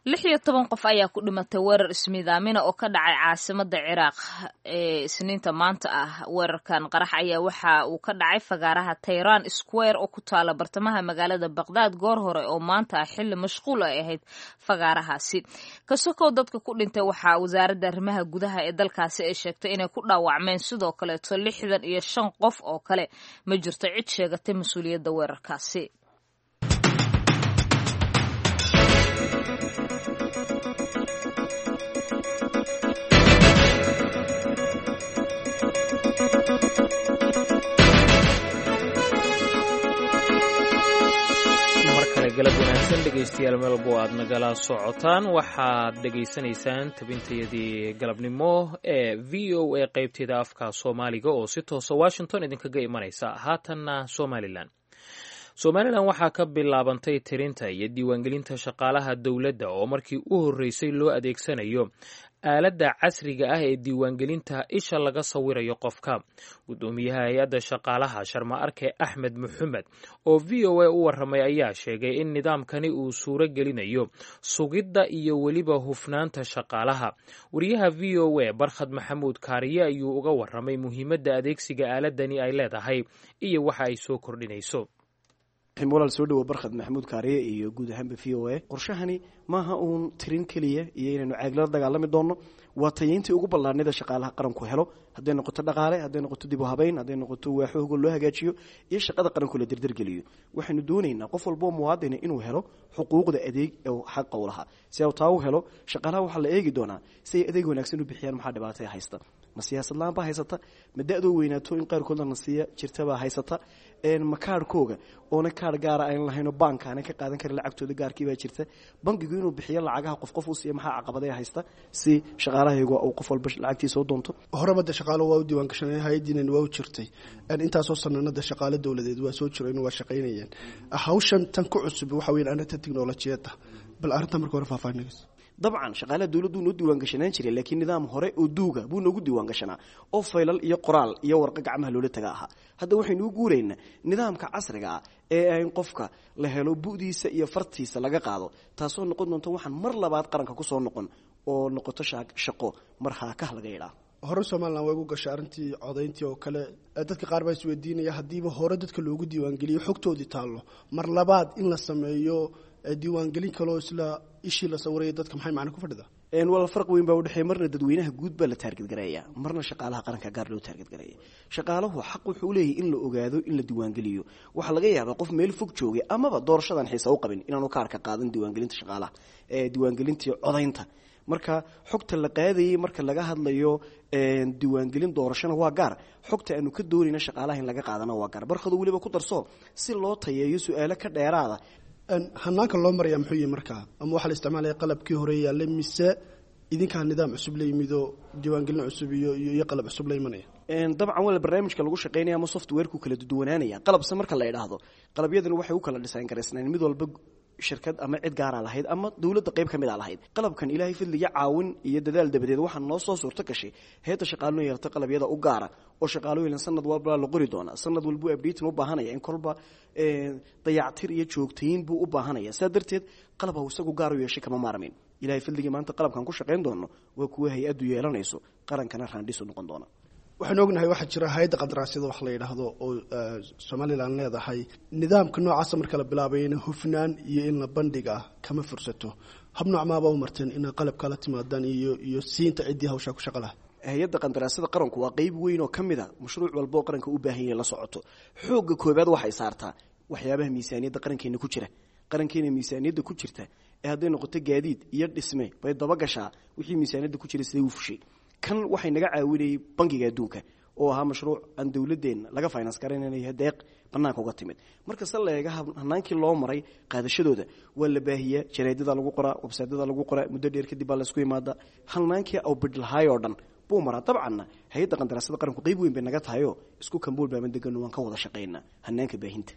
Lix iyo toban qof ayaa ku dhimatay weerar ismiidaamina oo ka dhacay caasimadda Ciraaq ee Isniinta maanta ah. Weerarkan qarax ayaa waxa uu ka dhacay fagaaraha Tayran Square oo ku taala bartamaha magaalada Baqdaad goor hore oo maanta ah, xilli mashquul ay ahayd fagaarahaasi. Kasokow dadka ku dhintay, waxaa wasaaradda arrimaha gudaha ee dalkaasi ay sheegtay inay ku dhaawacmeen sidoo kaleeto lixdan iyo shan qof oo kale. Ma jirto cid sheegatay mas-uuliyadda weerarkaasi. Galab wanaagsan dhegaystayaal, meel walbo aad nagala socotaan, waxaad dhegaysanaysaan tabintayadii galabnimo ee V O A qaybteeda afka Soomaaliga oo si toosa Washington idinkaga imanaysa. Haatanna Somalilan. Somalilan waxaa ka bilaabantay tirinta iyo diiwaangelinta shaqaalaha dowladda oo markii u horreysay loo adeegsanayo aaladda casriga ah ee diiwaangelinta isha laga sawirayo qofka. Guddoomiyaha hay-adda shaqaalaha, Sharma Arke Axmed Maxamed, oo V O A u warramay ayaa sheegay in nidaamkani uu suuro gelinayo sugidda iyo weliba hufnaanta shaqaalaha. Wariyaha V O A Barkhad Maxamuud Kaariye ayuu uga warramay muhiimadda adeegsiga aaladani ay leedahay iyo waxa ay soo kordhinayso. Walaal, soo dhawo Barkhad Maxamuud Kaariye iyo guud ahaanba V O A. Qorshahani maaha uun tirin keliya iyo inaynu caaglala dagaalami doonno, waa tayeyntii ugu ballaarnida shaqaalaha qaranku helo, hadday noqoto dhaqaale, hadday noqoto dib u habeyn, hadday noqoto waaxooga loo hagaajiyo iyo shaqada qaranku la derdergeliyo. Waxaynu doonaynaa qof walboo muwaadina inuu helo xuquuqda adeeg ee xaqa u lahaa. Si uu taa u helo, shaqaalaha waxaa la eegi doonaa si ay adeeg wanaagsan u bixiyaan. Maxaa dhibaataya haysta? Ma siyaasad la-aan baa haysata? Ma da-doo weynaato in qaarkoodna la siiya jirtabaa haysata? Ma kaarhkooga oona kaar gaara aynan lahaynoo baanka aanan ka qaadan karin lacagtooda gaarkiibaa jirta? Bangigu inuu bixiyo lacagaha qof qof u siiya, maxaa caqabadaya haysta si shaqaalahaygu uu qof walba lacagtiisa u doonto? Horeba de shaqaalo waa u diiwaan gashanay, hay-addiinan waa u jirtay intaasoo sananada, shaqaale dowladeed waa soo jireen, waa shaqaynayeen. Hawshan tan ku cusub waxa weyan arrinta tiknolojiyadda. Bal arrinta marka hore faahfaahinayso. Dabcan shaqaalaha dowladdu noo diiwaan gashanaan jiray, laakiin nidaam hore oo duuga buu noogu diiwaan gashanaa oo faylal iyo qoraal iyo warqo gacmaha loola taga ahaa. Hadda waxaynu u guuraynaa nidaamka casriga ah ee in qofka la helo bu'diisa iyo fartiisa laga qaado, taasoo noqon doonta waxaan mar labaad qaranka kusoo noqon oo noqoto shaqo mar haakah laga yidhaah. Hore Somalilan way ugu gashay arrintii codayntii oo kale. Dadka qaar baa isweydiinaya, haddiiba hore dadka loogu diiwaangeliyo xogtoodii taallo, mar labaad in la sameeyo diiwaangelin kaloo isla ishii la sawiraya dadka, maxay macna ku fadhida? Walaal, farq weyn baa udhexeeya. Marna dadweynaha guud baa la taargetgareeya, marna shaqaalaha qaranka gaar loo taargetgareeya. Shaqaaluhu xaq wuxuu leeyahay in la ogaado, in la diiwaangeliyo. Waxaa laga yaabaa qof meel fog joogay amaba doorashadan xiisa u qabin inaanu kaarka qaadan diiwaangelinta shaqaalaha ee diiwaangelintii codaynta. Marka xogta la qaadayay marka laga hadlayo diiwaangelin doorashona waa gaar, xogta aanu ka doonayna shaqaalaha in laga qaadana waa gaar. Barkadu weliba ku darso si loo tayeeyo su-aalo ka dheeraada. Hanaanka loo maraya muxuu yihi markaa? Ama waxaa la isticmaalaya qalabkii hore yaallay, mise idinkaa nidaam cusub la yimid oo diiwaangelin cusub iyo iyo qalab cusub la imanaya? Dabcan wala barnaamijka lagu shaqeynaya ama softwareku kala duwanaanaya. Qalabse marka la idhaahdo, qalabyadan waxay u kala dhisaan garaysnaan, mid walba shirkad ama cid gaara lahayd ama dowladda qayb ka mid a lahayd. Qalabkan Ilaahay fadliga, caawin iyo dadaal dabadeed, waxaa noo soo suurto gashay heedda shaqaaluhu yeelata qalabyada u gaara oo shaqaalooyin sanad walba la qori doonaa, sanad walbuu updating u baahanaya, in kolba dayactir iyo joogtayn buu u baahanaya. Sidaa darteed qalab ha isagu gaar u yeeshay kama maarmin. Ilaahay fadligii, maanta qalabkan ku shaqayn doono waa kuwa hay-addu yeelanayso, qarankana raandhisu noqon doona. Waxaynu ognahay waxaa jira hay-adda qandaraasyada wax la yidhaahdo oo Somalilan leedahay. Nidaamka noocaasa marka la bilaabayna hufnaan iyo in la bandhiga kama fursato. Hab nooc maaba u marteen inaa qalabka la timaadaan iyo iyo siinta ciddii hawshaa ku shaqa laha? Hay-adda qandaraasyada qaranku waa qeyb weyn oo ka mid a mashruuc walba oo qaranka u baahan yahay la socoto. Xoogga koobaad waxay saartaa waxyaabaha miisaaniyadda qarankeena ku jira. Qarankeena miisaaniyadda ku jirta ee hadday noqoto gaadiid iyo dhisme bay dabagashaa wixii miisaaniyadda ku jira siday u fushay. Kan waxay naga caawinayay Bangiga Adduunka oo ahaa mashruuc aan dowladeenna laga finance garaynanayo deeq bannaanka uga timid. Marka se la eega hanaankii loo maray qaadashadooda, waa la baahiyaa, jaraadada lagu qoraa, websaytyada lagu qoraa, muddo dheer kadib baa laysku imaadaa. Hanaankii au bidhlahaay oo dhan buu maraa. Dabcanna hay-adda qandaraasada qaranku qeyb weyn bay naga tahayoo isku kambuul baaban degano, waan ka wada shaqaynaa hanaanka baahinta.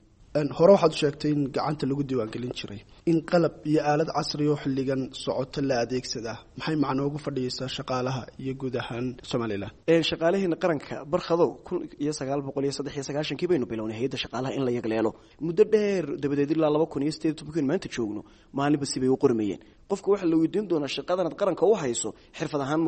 Hore waxaad u sheegtay in gacanta lagu diiwaangelin jiray, in qalab iyo aalad casri oo xilligan socoto la adeegsadaa, maxay macno ugu fadhiyeysaa shaqaalaha iyo guud ahaan Somalilan? Shaqaalaheena qaranka, Barkhadow, kun iyo sagaal boqol iyo saddex iyo sagaashankii baynu bilownay hay-adda shaqaalaha in la yagleelo. Muddo dheer dabadeed ilaa laba kun iyo sideed iyo tobankiin maanta joogno, maalinba sibay u qormayeen. Qofka waxaa la weydiin doonaa shaqadanaad qaranka u hayso xirfad ahaan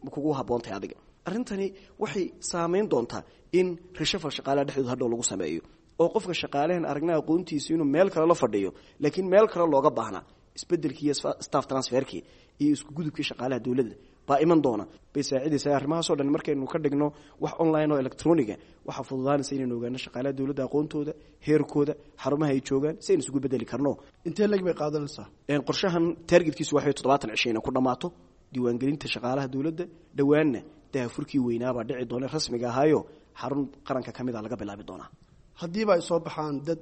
ma kugu habboontahay adiga. Arrintani waxay saameyn doontaa in rishafal shaqaalaha dhexdooda hadhow lagu sameeyo, oo qofka shaqaalahan aragna aqoontiisa inuu meel kale la fadhiyo laakiin meel kale looga baahnaa. Isbedelkii iyo staff transferkii iyo isku gudubkii shaqaalaha dowladda baa iman doona, bay saacidaysaa arrimahaasoo dhan. Markaynu ka dhigno wax online oo electroniga, waxaa fududaanaysa inaynu ogaano shaqaalaha dowladda aqoontooda, heerkooda, xarumaha ay joogaan, si aynu isugu bedeli karno. Intee leg bay qaadanaysaa? Qorshahan targetkiisu waxay toddobaatan cisho inay ku dhammaato diiwaangelinta shaqaalaha dowladda. Dhowaanna daahfurkii weynaabaa dhici doona rasmiga ahaayo, xarun qaranka ka mid a laga bilaabi doonaa. Haddiiba ay soo baxaan dad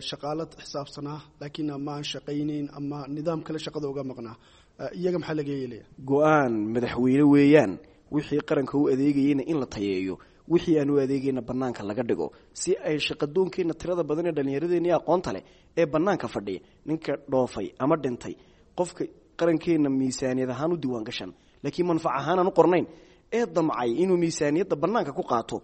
shaqaalo xisaabsanaa laakiin ama aan shaqaynayn ama nidaam kale shaqada uga maqnaa, iyaga maxaa laga yeelaya? Go-aan madaxweyne weeyaan. Wixii qaranka u adeegayeyna in la tayeeyo, wixii aan u adeegayna bannaanka laga dhigo, si ay shaqadoonkeenna tirada badan ee dhallinyaradeenna iyo aqoonta leh ee bannaanka fadhiya, ninka dhoofay ama dhintay, qofka qarankeenna miisaaniyad ahaan u diiwaan gashan laakiin manfac ahaan aan u qornayn ee damcay inuu miisaaniyadda bannaanka ku qaato,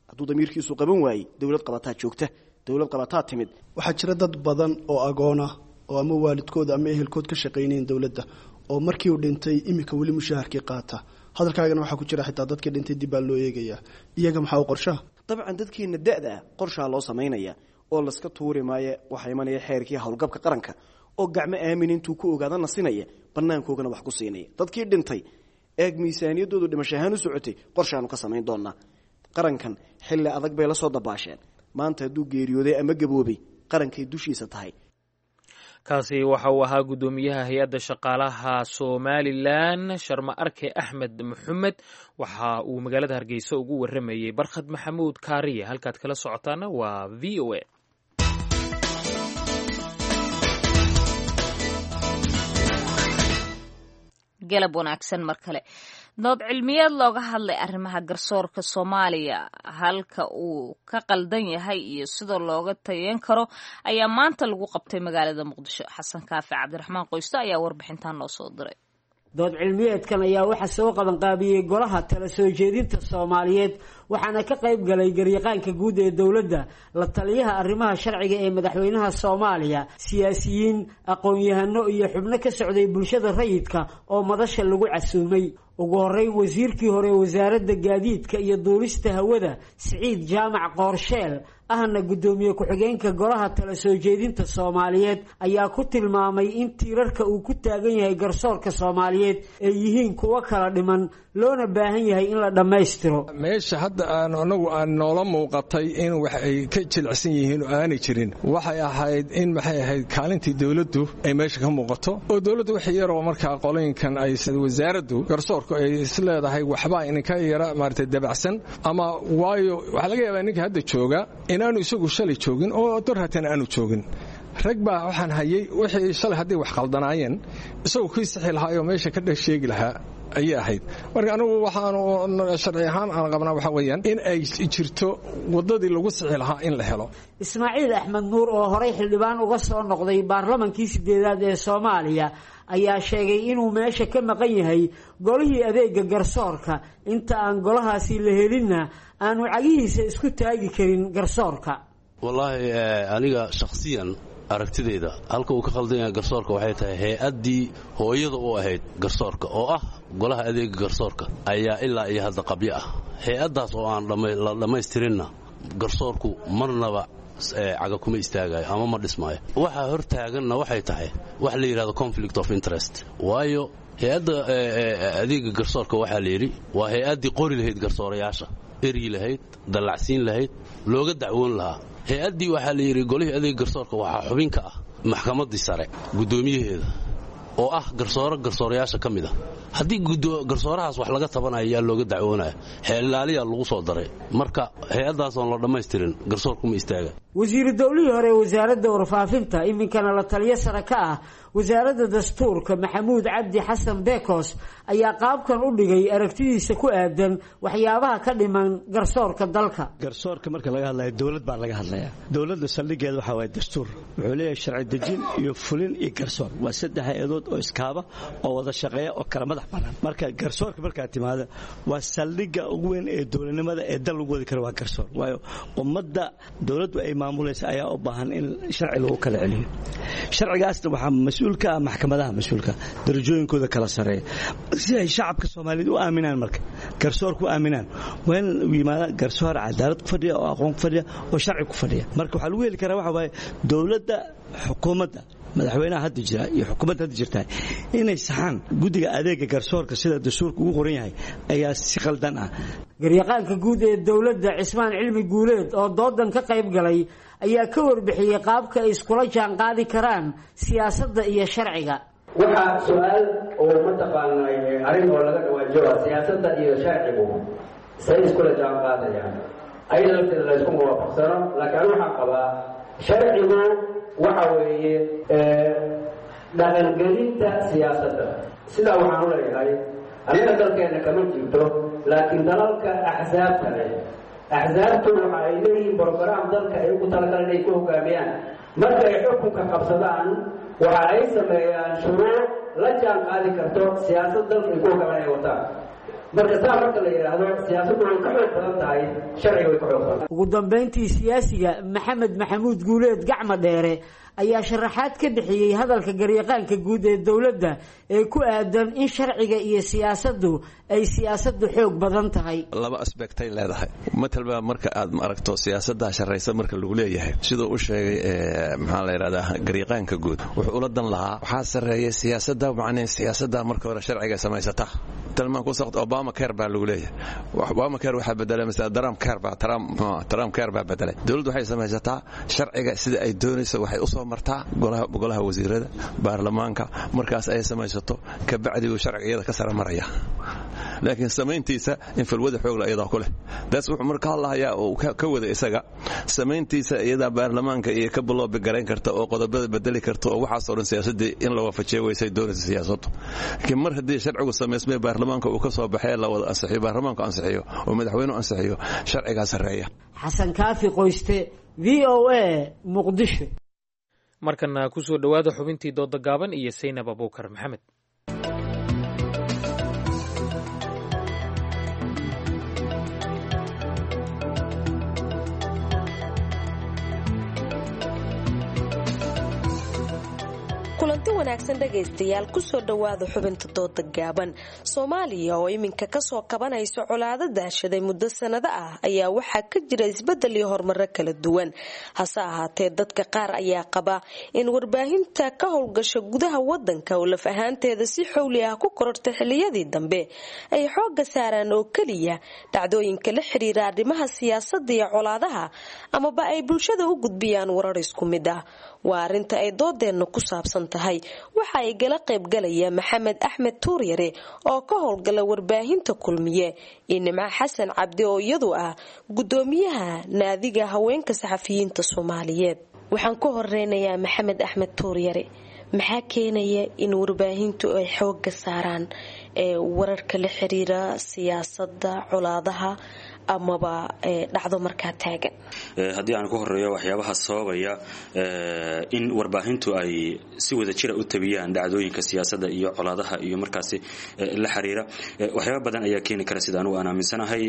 hadduu damiirkiisu qaban waayey, dowlad qabataa joogta, dowlad qabataa timid. Waxaa jira dad badan oo agoona oo ama waalidkood ama ehelkood ka shaqaynayn dowladda oo markii uu dhintay iminka weli mushaharkii qaata. Hadalkaagana waxaa ku jira xitaa dadkii dhintay dib baa loo eegayaa, iyaga maxaa u qorshaha? Dabcan dadkeena da-da ah qorshaa loo samaynaya oo laska tuuri maayo. Waxaa imanaya xeerkii howlgabka qaranka oo gacmo aamin intuu ku ogaadana sinaya, banaankoogana wax ku siinaya. Dadkii dhintay eeg miisaaniyaddoodu dhimasho ahaan u socotay, qorshaanu ka samayn doonaa. Qarankan xilli adag bay la soo dabaasheen. Maanta hadduu geeriyooday ama gaboobay, qarankay dushiisa tahay. Kaasi waxa uu ahaa guddoomiyaha hay-adda shaqaalaha Somalilan, Sharma Arke Axmed Maxamed. Waxa uu magaalada Hargeysa ugu waramayey Barkhad Maxamuud Kaariye. Halkaad kala socotaana waa V O A. Galab wanaagsan mar kale. Dood cilmiyeed looga hadlay arrimaha garsoorka Soomaaliya, halka uu ka qaldan yahay iyo sida looga tayen karo, ayaa maanta lagu qabtay magaalada Muqdisho. Xasan Kaafi Cabdiraxmaan Qoysto ayaa warbixintan noo soo diray. Dood cilmiyeedkan ayaa waxaa soo qabanqaabiyey Golaha Tala Soo Jeedinta Soomaaliyeed, waxaana ka qayb galay garyaqaanka guud ee dowladda, la taliyaha arrimaha sharciga ee madaxweynaha Soomaaliya, siyaasiyiin, aqoon-yahano iyo xubno ka socday bulshada rayidka oo madasha lagu casuumay. Ugu horeyn, wasiirkii hore wasaaradda gaadiidka iyo duulista hawada, Siciid Jaamac Qoorsheel, ahna guddoomiye ku-xigeenka Golaha Tala Soo Jeedinta Soomaaliyeed, ayaa ku tilmaamay in tiirarka uu ku taagan yahay garsoorka Soomaaliyeed ay yihiin kuwo kala dhiman, loona baahan yahay in la dhammaystiro. Meesha hadda aan anagu aan noola muuqatay in wax ay ka jilicsan yihiin oo aanay jirin waxay ahayd in maxay ahayd kaalintii dowladdu ay meesha ka muuqato, oo dowladdu wixii yaroo markaa qolooyinkan ay wasaaraddu garsoorku ay isleedahay waxbaa idinka yara maaragtay dabacsan ama waayo waxaa laga yaabaa ninka hadda jooga inaanu isagu shalay joogin oo dorhatan aanu joogin. Rag baa waxaan hayay wixii shalay hadday wax qaldanaayeen isagu kii sixi lahaa oo meesha ka dhex sheegi lahaa ayay ahayd. Marka anigu waxaanu sharci ahaan aan qabnaa waxa weeyaan in ay jirto waddadii lagu sixi lahaa in la helo. Ismaaciil Axmed Nuur oo horey xildhibaan uga soo noqday baarlamankii sideedaad ee Soomaaliya ayaa sheegay inuu meesha ka maqan yahay golihii adeega garsoorka, inta aan golahaasi la helinna aanu cagihiisa isku taagi karin garsoorka. Wallaahi aniga shakhsiyan aragtidayda halka uu ka khaldan yahay garsoorka waxay tahay hay-addii hooyada u ahayd garsoorka oo ah Golaha Adeega Garsoorka ayaa ilaa iyo hadda qabyo ah. Hay-addaas oo aan la dhammaystirinna garsoorku marnaba caga kuma istaagayo ama ma dhismaayo. Waxaa hor taaganna waxay tahay wax la yidhahdo conflict of interest, waayo hay-adda adeega garsoorka waxaa la yidhi waa hay-addii qori lahayd garsoorayaasha, eryi lahayd, dallacsiin lahayd, looga dacwoon lahaa. Hay-addii waxaa la yidhi golihii adeega garsoorka waxaa xubin ka ah maxkamaddii sare guddoomiyaheeda oo ah garsooro garsoorayaasha ka mid ah. Haddii garsoorahaas wax laga tabanaya yaa looga dacwoonaya, xeelilaaliyaa lagu soo daray. Marka hay-addaasoon la dhammaystirin garsoorkuma istaaga. Wasiiru dowlihii hore ee wasaaradda warfaafinta, iminkana la taliyo sare ka ah wasaaradda dastuurka, Maxamuud Cabdi Xasan Bekos, ayaa qaabkan u dhigay aragtidiisa ku aadan waxyaabaha ka dhiman garsoorka dalka. Garsoorka marka laga hadlayo dowlad baa laga hadlayaa. Dowladda saldhigeeda waxaa waaye dastuur. Wuxuu leeyahay sharci dejin iyo fulin iyo garsoor. Waa saddex hay-adood oo iskaaba oo wada shaqeeya oo kala madax bannaan. Marka garsoorka markaa timaada waa saldhigga ugu weyn ee dowladnimada ee dal lagu wadi karo waa garsoor. Waayo ummadda dowladdu ay maamulaysa ayaa u baahan in sharci lagu kala celiyo. Sharcigaasna waxaa mas-uul ka ah maxkamadaha mas-uulka darajooyinkooda kala sareeya si ay shacabka Soomaaliyeed u aaminaan. Marka garsoorku u aaminaan waa in uu yimaada garsoor cadaalad ku fadhiya oo aqoon ku fadhiya oo sharci ku fadhiya. Marka waxaa lagu heli karaa waxa waaye dowladda, xukuumadda, madaxweynaha hadda jira iyo xukuumadda hadda jirta inay saxaan guddiga adeega garsoorka sida dastuurka ugu qoran yahay ayaa si khaldan ah. Garyaqaanka guud ee dowladda, Cismaan Cilmi Guuleed, oo doodan ka qayb galay ayaa ka warbixiyey qaabka ay iskula jaan qaadi karaan siyaasadda iyo sharciga. Waxaa su-aal oo mataqaanay arrin oo laga dhawaajoa siyaasadda iyo sharcigu say iskula jaan qaadayaan, ayada lafteeda la ysku muwaafaqsano. Laakiin anu waxaan qabaa sharcigu waxa weeye dhaqangelinta siyaasadda. Sidaa waxaan u leeyahay annaga dalkeenna kama jirto, laakiin dalalka axsaabta leh, axsaabtu waxa ay leeyihiin brograam dalka ay ugu talagalan inay ku hogaamiyaan. Marka ay xukunka qabsadaan waxa ay sameeyaan shuruuc la jaan qaadi karto siyaasad dalka ay ku hogaamin ay wataan. Marka saa marka la yidhaahdo siyaasaddu way ka xoog badan tahay sharciga, way ka xoog badan. Ugu dambeyntii, siyaasiga Maxamed Maxamuud Guuleed Gacma Dheere ayaa sharaxaad ka bixiyey hadalka garyaqaanka guud ee dowladda ee ku aadan in sharciga iyo siyaasaddu ay siyaasaddu xoog badan tahay. Laba asbectay leedahay. Matalba marka aad aragto siyaasadda sharraysa marka lagu leeyahay, siduu u sheegay maxaa la yidhahdaa garyaqaanka guud, wuxuu ula dan lahaa waxaa sarreeya siyaasadda, macnee siyaasadda marka hore sharciga samaysata. Talmaan ku saqt Obama Care baa lagu leeyahay. Obama Care waxaa bedelay masala Trump Care baa Trump Trump Care baa bedelay. Dowladdu waxay samaysataa sharciga sida ay doonayso, waxay u soo martaa golaha golaha wasiirada, baarlamaanka. Markaas ay samaysato kabacdi uu sharciga iyada ka sara maraya, laakiin samayntiisa in falwada xoogla iyadaa ku leh. Daas wuxuu marka hadlahayaa oo ka wada isaga samayntiisa iyadaa baarlamaanka iyo ka biloobi garayn karta oo qodobada bedeli karta oo waxaasoo dhan siyaasaddii in la waafajiyo weysay doonaysa siyaasaddu. Laakiin mar haddii sharcigu samaysmay baarlamaanka uu ka soo baxee la wada ansixiyo, baarlamaanku ansixiyo oo madaxweynuhu ansixiyo, sharcigaa sarreeya. Xasan Kaafi Qoyste, V O A, Muqdisho. Markana ku soo dhowaada xubintii dooda gaaban iyo Saynab Abuukar Maxamed. Kulanti wanaagsan dhegaystayaal, kusoo dhowaada xubinta dooda gaaban. Soomaaliya oo iminka kasoo kabanaysa colaado daashaday muddo sanado ah ayaa waxaa ka jira isbedel iyo horumaro kala duwan. Hase ahaatee dadka qaar ayaa qaba in warbaahinta ka howlgasha gudaha wadanka oo laf ahaanteeda si xowli ah ku korortay xiliyadii dambe ay xooga saaraan oo keliya dhacdooyinka la xiriira arrimaha siyaasada iyo colaadaha, amaba ay bulshada u gudbiyaan warar isku mid ah. Waa arinta ay doodeenna ku saabsan tahay. Waxa ay gala qaybgalaya Maxamed Axmed Tuuryare oo ka howlgala warbaahinta Kulmiye iyo Nimco Xasan Cabdi oo iyadu ah gudoomiyaha naadiga haweenka saxafiyiinta Soomaaliyeed. Waxaan ku horeynayaa Maxamed Axmed Tuuryare. Maxaa keenaya in warbaahintu ay xooga saaraan ee wararka la xiriira siyaasada, colaadaha amaba dhacdo markaa taagan? Haddii aan ku horeeyo waxyaabaha sababaya in warbaahintu ay si wada jira u tabiyaan dhacdooyinka siyaasadda iyo colaadaha iyo markaasi la xiriira, waxyaaba badan ayaa keeni kara sida anugu aan aaminsanahay.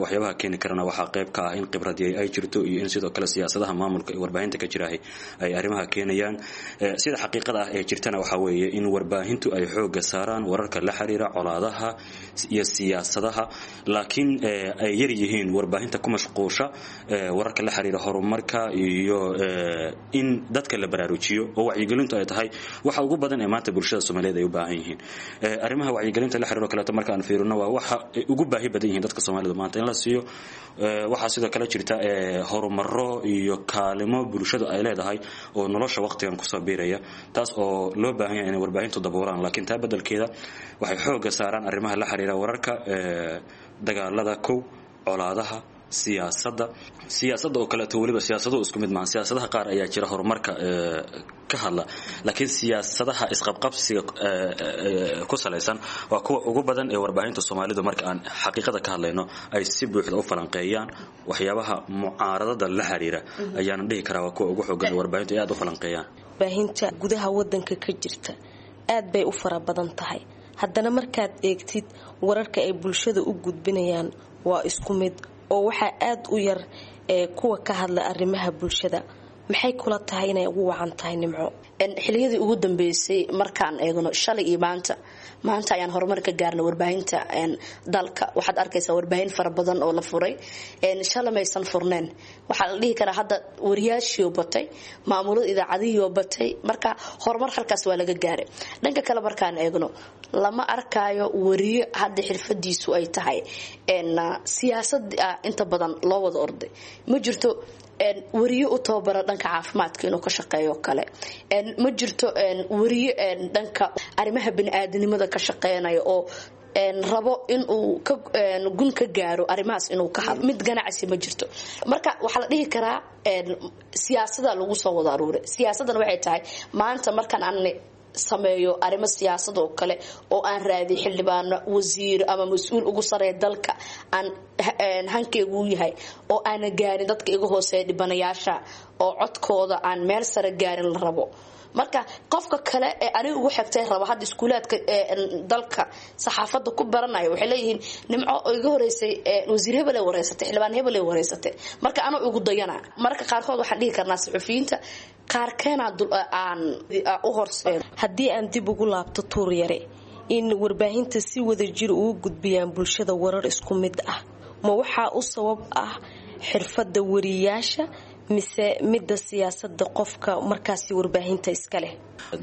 Waxyaabaha keeni karana waxaa qayb ka ah in khibradii ay jirto iyo in sidoo kale siyaasadaha maamulka ee warbaahinta ka jirahay ay arrimaha keenayaan. Sida xaqiiqada ah ee jirtana waxaa weeye in warbaahintu ay xooga saaraan wararka la xiriira colaadaha iyo siyaasadaha, laakiin ay yar yihiin warbaahinta ku mashquusha wararka la xiriira horumarka iyo in dadka la baraarujiyo oo wacyigelintu ay tahay waxa ugu badan ee maanta bulshada Soomaaliyeed ay u baahan yihiin. Arrimaha wacyigelinta la xiriiro kaleeto marka aan fiirino waa waxa ay ugu baahi badan yihiin dadka Soomaalida maanta in la siiyo. Waxaa sidoo kale jirta horumaro iyo kaalimo bulshadu ay leedahay oo nolosha waqtigan kusoo biiraya, taas oo loo baahan yahay inay warbaahintu daboolaan, laakiin taa beddelkeeda waxay xoogga saaraan arrimaha la xiriira wararka dagaalada, kow colaadaha, siyaasadda siyaasadda oo kaleeto. Weliba siyaasaduhu isku mid maaha, siyaasadaha qaar ayaa jira horumarka ka hadla, laakiin siyaasadaha isqabqabsiga ku salaysan waa kuwa ugu badan ee warbaahinta Soomaalidu marka aan xaqiiqada ka hadlayno ay si buuxda u falanqeeyaan. Waxyaabaha mucaaradada la xiriira ayaana dhihi karaa waa kuwa ugu xoogan ee warbaahintu ay aad u falanqeeyaan. Warbaahinta gudaha wadanka ka jirta aad bay u fara badan tahay, haddana markaad eegtid wararka ay bulshada u gudbinayaan waa isku mid oo waxaa aad u yar ee kuwa ka hadla arrimaha bulshada. Maxay kula tahay inay ugu wacan tahay, Nimco? Xiliyadii ugu dambeysay markaan eegno shalay iyo maanta, maanta ayaan horumar ka gaarnay warbaahinta dalka. Waxaad arkaysaa warbaahin fara badan oo la furay, shalay maysan furneen. Waxaa la dhihi karaa hadda wariyaashiioo batay, maamulada idaacadihiioo batay, marka horumar halkaas waa laga gaaray. Dhanka kale markaan eegno lama arkaayo wariyo hadda xirfadiisu ay tahay siyaasad inta badan loo wada orday. Ma jirto wariyo u tababara dhanka caafimaadka inuu ka shaqeeyo kale, ma jirto wariyo dhanka arrimaha biniaadanimada ka shaqeynaya oo rabo inuu gun ka gaaro arrimahaas inuu ka hadlo, mid ganacsi ma jirto. Marka waxaa la dhihi karaa siyaasada lagu soo wada aruuray. Siyaasadana waxay tahay maanta markaan aan sameeyo arrimo siyaasad oo kale oo aan raadiy xildhibaano, wasiir ama mas-uul ugu sareeya dalka aan hankeygu yahay oo aana gaarin dadka iga hooseeya dhibanayaasha oo codkooda aan meel sare gaarin la rabo. Marka qofka kale ee aniga ugu xigtay raba hadda iskuulaadka dalka saxaafadda ku baranaya waxay leeyihiin Nimco iga horeysay wasiir hebel ay wareysatay, xildhibaan hebel ay wareysatay, marka anuu igu dayana. Marka qaarkood waxaan dhihi karnaa suxufiyiinta qaarkeena aan u horseedo. Haddii aan dib ugu laabto Tuur Yare, in warbaahinta si wada jir ugu gudbiyaan bulshada warar isku mid ah, ma waxaa u sabab ah xirfadda wariyaasha mise midda siyaasada qofka markaasi warbaahinta iska leh?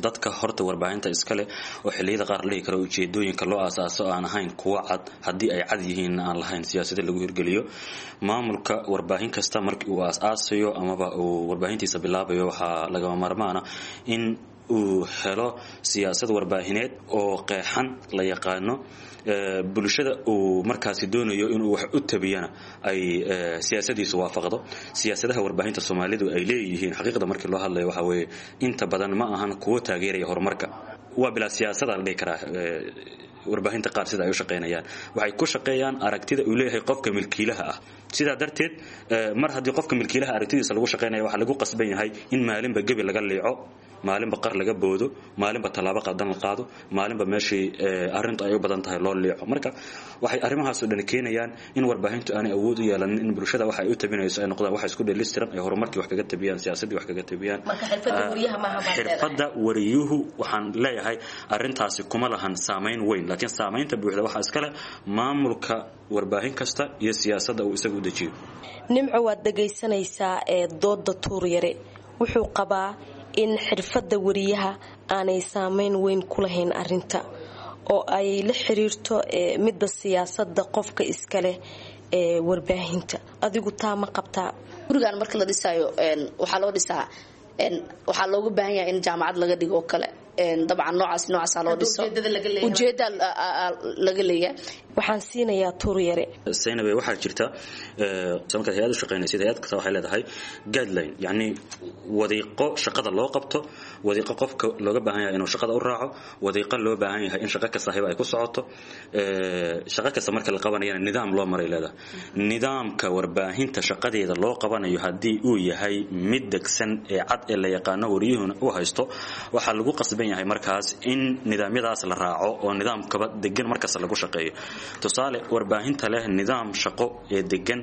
Dadka horta warbaahinta iska leh oo xilliyada qaar la dhihi karo ujeedooyinka loo aasaaso aan ahayn kuwa cad, haddii ay cad yihiinna aan lahayn siyaasada lagu hirgeliyo. Maamulka warbaahin kasta markii uu aas-aasayo amaba uu warbaahintiisa bilaabayo waxaa lagama maarmaana in uu helo siyaasad warbaahineed oo qeexan, la yaqaano, bulshada uu markaasi doonayo inuu wax u tabiyana ay siyaasadiisu waafaqdo. Siyaasadaha warbaahinta Soomaalidu ay leeyihiin xaqiiqda markii loo hadlayo waxaa weeye inta badan ma ahan kuwo taageeraya horumarka, waa bilaa siyaasada la dhihi karaa. Warbaahinta qaar sida ay u shaqeynayaan waxay ku shaqeeyaan aragtida uu leeyahay qofka milkiilaha ah. Sidaa darteed mar haddii qofka milkiilaha aragtidiisa lagu shaqeynaya waxaa lagu qasban yahay in maalinba gebi laga liico, maalinba qar laga boodo, maalinba tallaabo qadan la qaado, maalinba meeshii arrintu ay u badan tahay loo liico. Marka waxay arrimahaasoo dhan keenayaan in warbaahintu aanay awood u yeelanin in bulshada waxa ay u tabinayso ay noqdaan waxa isku dheelistiran, ay horumarkii wax kaga tabiyaan, siyaasaddii wax kaga tabiyaan. Xirfadda wariyuhu waxaan leeyahay arrintaasi kuma lahan saamayn weyn, laakiin saamaynta buuxda waxaa iskale maamulka warbaahin kasta iyo siyaasadda uu isagu u dejiyo. Nimco, waad dhagaysanaysaa ee dooda Tuur Yare, wuxuu qabaa in xirfadda wariyaha aanay saameyn weyn ku lahayn arinta oo ay la xiriirto midda siyaasadda qofka iska leh ee warbaahinta. Adigu taa ma qabtaa? Gurigaan marka la dhisaayo waxaa loo dhisaa, waxaa looga baahan yahay in jaamacad laga dhigo oo kale, dabcan noocaas noocaasa loo dhiso, ujeeda laga leeyahay. Waxaan siinayaa Tuur Yare. Saynabe, waxaa jirta markaad hay-ad u shaqeynaysid, hay-ad kasta waxay leedahay guideline, yacni wadiiqo shaqada loo qabto, wadiiqo qofka looga baahan yahay inuu shaqada u raaco, wadiiqo loo baahan yahay in shaqo kasta hiba ay ku socoto. Shaqo kasta marka la qabanayana nidaam loo maray leedahay. Nidaamka warbaahinta shaqadeeda loo qabanayo haddii uu yahay mid degsan ee cad ee la yaqaano wariyuhuna u haysto, waxaa lagu qasban yahay markaas in nidaamyadaas la raaco oo nidaamkaba degan markasta lagu shaqeeyo. Tusaale, warbaahinta leh nidaam shaqo ee degan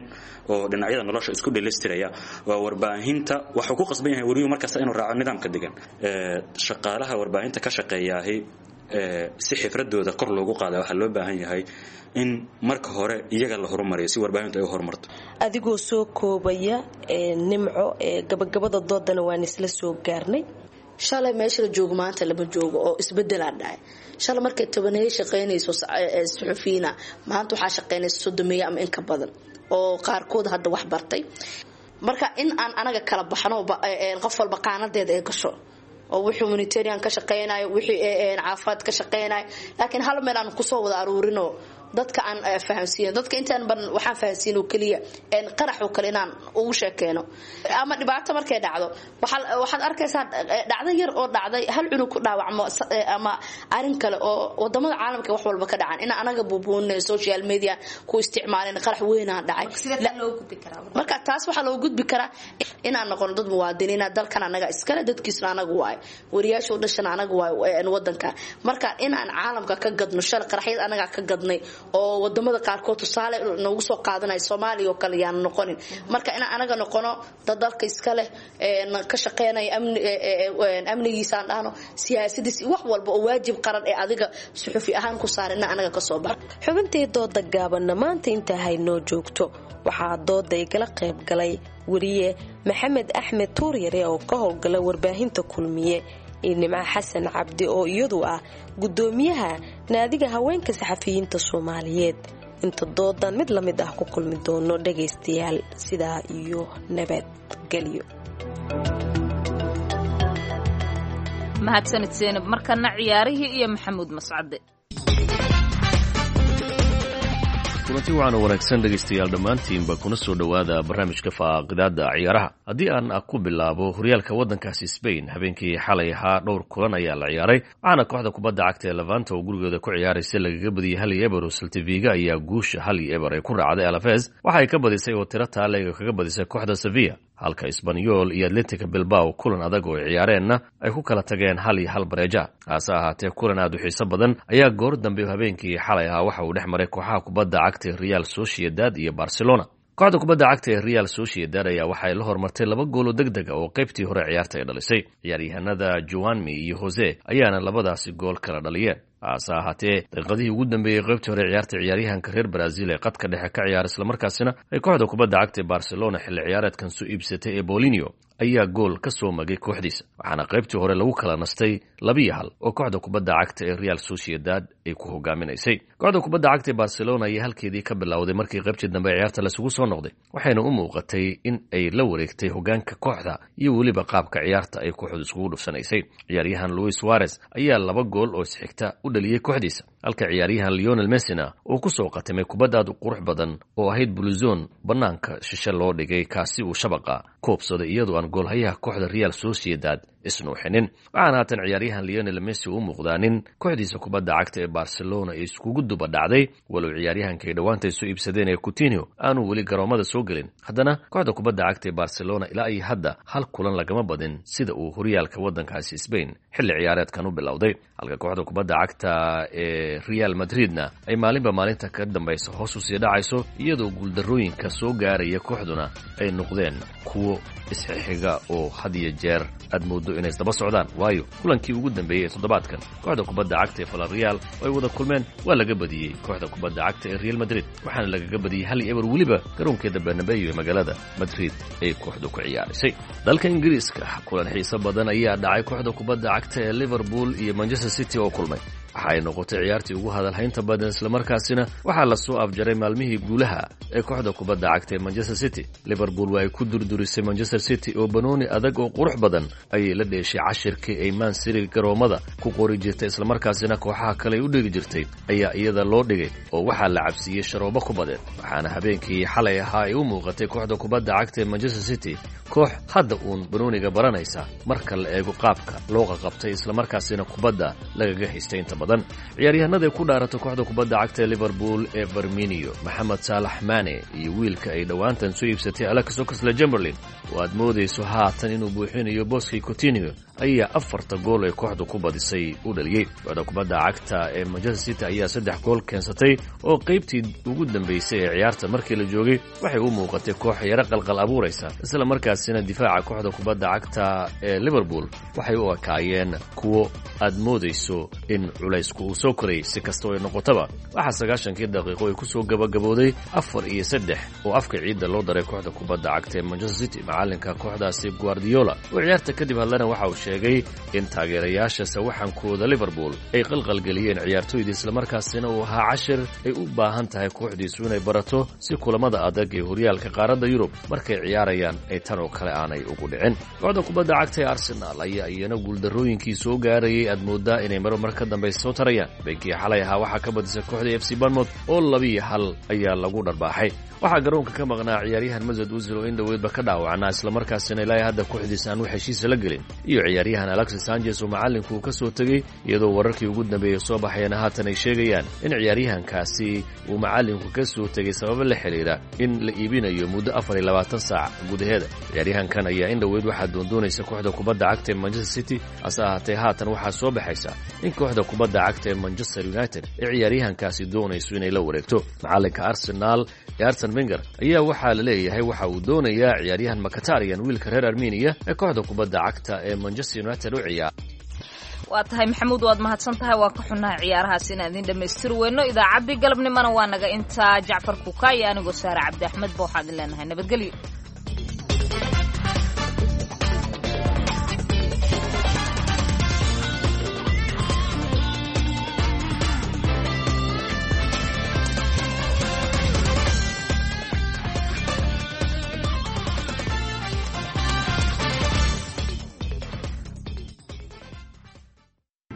oo dhinacyada nolosha isku dhelistiraya waa warbaahinta waxuu ku qasban yahay wariyuhu markasta inuu raaco nidaamka degan. Shaqaalaha warbaahinta ka shaqeeyaahi si xifradooda kor loogu qaada waxaa loo baahan yahay in marka hore iyaga la horumariyo si warbaahintu ay u horumarto. Adigoo soo koobaya Nimco, gabagabada doodana waan isla soo gaarnay. Shalay meesha la joogo maanta lama joogo oo isbedelaa dhacay. Shalay markay tobaneeye shaqaynayso suxufiyiina, maanta waxaa shaqaynaysa soddomeeye ama in ka badan oo qaarkood hadda wax bartay. Marka in aan anaga kala baxno, qof walba qaanadeeda ay gasho oo wixii humanitarian ka shaqeynayo, wixii caafimaad ka shaqeynayo, laakiin hal meel aan kusoo wada aruurino dadka aan fahamsiin. Dadka intaan badan waxaan fahamsiin oo kaliya een qarax oo kale inaan ugu sheekeeno ama dhibaato markay dhacdo. Waxaad arkaysaa dhacdo yar oo dhacday, hal cunug ku dhaawacmo ama arin kale oo wadamada caalamka wax walba ka dhacan, in anaga buubuunay social media ku isticmaalin qarax weyn aan dhacay. Marka taas waxaa loo gudbi karaa inaan noqono dad muwaadiniina, dalkan anaga iskale, dadkiisna anaga waayo, wariyaasha u dhashana anaga waayo wadanka. Marka inaan caalamka ka gadno shalay qaraxyad anaga ka gadnay oo wadamada qaarkood tusaale noogu soo qaadanaya, Soomaaliya oo kale yaan noqonin. Marka inaan anaga noqono dad dalka iska leh, ka shaqeynaya amni, amnigiisaan dhahno, siyaasadiis, wax walba oo waajib qaran ee adiga suxufi ahaan ku saaran in anaga ka soo baxo. Xubintii dooda gaabanna maanta intaa haynoo joogto. Waxaa dooda igala qayb galay wariye Maxamed Axmed Tuuryare oo ka howlgala warbaahinta Kulmiye iyo Nimco Xasan Cabdi oo iyadu ah gudoomiyaha naadiga haweenka saxafiyiinta Soomaaliyeed. Inta doodan mid la mid ah ku kulmi doono dhagaystayaal, sidaa iyo nabadgelyo. Mahadsanid Seenab. Markana ciyaarihii iyo Maxamuud Mascade. Kulanti waxaana wanaagsan dhegaystayaal dhammaantiinba, kuna soo dhowaada barnaamijka faaqidaada ciyaaraha. Haddii aan ku bilaabo horyaalka waddankaasi Spain, habeenkii xalay ahaa dhowr kulan ayaa la ciyaaray, waxaana kooxda kubadda cagta ee Levante oo gurigooda ku ciyaaraysa lagaga badiyey hal iyo eber. Oo Celta Vigo ayaa guusha hal iyo eber ay ku raacday. Alaves waxay ka badisay oo tiro taaleega kaga badisay kooxda Sevilla, halka Espanyol iyo Athletic Bilbao kulan adag oo ay ciyaareenna ay ku kala tageen hal iyo hal bareeja. Hase ahaatee kulan aad u xiiso badan ayaa goor dambe habeenkii xalay ahaa waxa uu dhex maray kooxaha kubadda cagta ee Real Sociedad iyo Barcelona. Kooxda kubadda cagta ee Real Sociedad ayaa waxay la hormartay laba gool oo deg deg ah oo qaybtii hore ciyaarta ay dhalisay. Ciyaaryahanada Juanmi iyo Jose ayaana labadaasi gool kala dhaliyeen. Hase ahaatee daqiiqadihii ugu dambeeyey qaybtii hore ciyaarta, ciyaaryahanka reer Brazil ee qadka dhexe ka ciyaara islamarkaasina ay kooxda kubadda cagta ee Barcelona xilli ciyaareedkan soo iibsatay ee Bolinio ayaa gool ka soo magay kooxdiisa, waxaana qaybtii hore lagu kala nastay labiyo hal oo kooxda kubadda cagta ee Real Sociedad ay ku hogaaminaysay. Kooxda kubadda cagta ee Barcelona ayaa halkeedii ka bilowday markii qaybtii dambe ciyaarta lasugu soo noqday, waxayna u muuqatay in ay la wareegtay hogaanka kooxda iyo weliba qaabka ciyaarta ay kooxdu iskugu dhufsanaysay. Ciyaaryahan Luis Suarez ayaa laba gool oo isxigta u dhaliyey kooxdiisa, halka ciyaaryahan Lionel Messina uu ku soo qatimay kubad aad u qurux badan oo ahayd buluzon bannaanka shishe loo dhigay, kaasi uu shabaqa koobsaday iyadoo aan goolhayaha kooxda Real Sociedad isnuuxinin. Waxaana haatan ciyaaryahan Lionel Messi u muuqdaa nin kooxdiisa kubadda cagta ee Barcelona ay iskugu duba dhacday, walow ciyaaryahanka ay dhowaanta soo iibsadeen ee Coutinho aanu weli garoomada soo gelin. Haddana kooxda kubadda cagta ee Barcelona ilaa iyo hadda hal kulan lagama badin sida uu horyaalka waddankaasi Spain xilli ciyaareedkan u bilowday, halka kooxda kubadda cagta ee Real Madridna ay maalinba maalinta ka dambaysa hoos u sii dhacayso, iyadoo guuldarrooyinka soo gaaraya kooxduna ay noqdeen kuwo isxixiga oo had iyo jeer aad moodo inay isdaba socdaan. Waayo kulankii ugu dambeeyey ee toddobaadkan kooxda kubadda cagta ee Villarreal oo ay wada kulmeen waa laga badiyey kooxda kubadda cagta ee Real Madrid, waxaana lagaga badiyey hal iyo eber weliba garoonkeeda Bernabeu ee magaalada Madrid ay kooxdu ku ciyaarisay. Dalka Ingiriiska kulan xiiso badan ayaa dhacay, kooxda kubadda cagta ee Liverpool iyo Manchester City oo kulmay. Waxa ay noqotay ciyaartii ugu hadalhaynta badan, islamarkaasina waxaa la soo afjaray maalmihii guulaha ee kooxda kubadda cagta ee Manchester City. Liverpool waa ay ku durdurisay Manchester City oo banooni adag oo qurux badan ayay la dheeshay. Cashirkii ay Man City garoomada ku qori jirtay islamarkaasina kooxaha kale ay u dhigi jirtay ayaa iyada loo dhigay oo waxaa la cabsiiyey sharoobo kubadeed. Waxaana habeenkii xalay ahaa ay u muuqatay kooxda kubadda cagta ee Manchester City koox hadda uun banooniga baranaysa marka la eego qaabka loo qaqabtay islamarkaasina kubadda lagaga haystay inta badan. Ciyaaryahanada ku dhaarata kooxda kubadda cagta ee Liverpool ee Firmino, Maxamed Salah, Mane iyo wiilka ay dhowaantan soo iibsatay Alex Oxlade-Chamberlain oo aad moodayso haatan inuu buuxinayo booskii Coutinho ayaa afarta gool ee kooxdu ku badisay u dhaliyey. Kooxda kubadda cagta ee Manchester City ayaa saddex gool keensatay oo qaybtii ugu dambaysay ee ciyaarta markii la joogay waxay u muuqatay koox yaro qalqal abuuraysa, isla markaasina difaaca kooxda kubadda cagta ee Liverpool waxay u ekaayeen kuwo aad moodayso in culaysku uu soo korayay. Si kastoo ay noqotaba, waxaa sagaashankii daqiiqo ay ku soo gabagabooday afar iyo saddex oo afka ciidda loo daray kooxda kubadda cagta ee Manchester City. Macalinka kooxdaasi Guardiola oo ciyaarta kadib hadlana waxa uu sheegay in taageerayaasha sawaxankooda Liverpool ay qalqalgeliyeen ciyaartoyda, islamarkaasina uu ahaa cashir ay u baahan tahay kooxdiisu inay barato si kulamada adag ee horyaalka qaaradda Yurub markay ciyaarayaan ay tan oo kale aanay ugu dhicin. Kooxda kubadda cagta ee Arsenal ayaa iyana guuldarrooyinkii soo gaarayay aad moodaa inay mar mar ka dambaysa soo tarayaan. Beenkii xalay ahaa waxaa ka badisay kooxda F C Bournemouth oo labiyo hal ayaa lagu dharbaaxay. Waxaa garoonka ka maqnaa ciyaaryahan Mesut Ozil oo in dhoweydba ka dhaawacnaa, islamarkaasina ilaa hadda kooxdiisa aan wax heshiisa la gelin, iyo ciyaaryahan Alexis Sanchez oo macallinku uu ka soo tegey, iyadoo wararkii ugu dambeeyey soo baxayana haatan ay sheegayaan in ciyaaryahankaasi uu macallinku ka soo tegey sababo la xidhiidha in la iibinayo muddo afar iyo labaatan saac gudaheeda. Ciyaaryahankan ayaa in dhoweyd waxaa doondoonaysa kooxda kubadda cagta ee Manchester City, hase ahaatee haatan waxaa soo baxaysa in kooxda kubadda cagta ee Manchester United ee ciyaaryahankaasi doonayso inay la wareegto. Macallinka Arsenal ee Arsene Wenger ayaa waxaa la leeyahay waxa uu doonayaa ciyaaryahan Mkhitaryan, wiilka reer Armenia ee kooxda kubadda cagta ee Manchester United u ciyaara. Waa tahay Maxamuud, waad mahadsan tahay. Waa ka xunnahay ciyaarahaas inaan idin dhammaystiri weyno. Idaacaddii galabnimona waa naga intaa. Jacfar Kuka iyo anigoo Saare Cabdi Axmed ba waxaan idin leenahay nabadgelyo.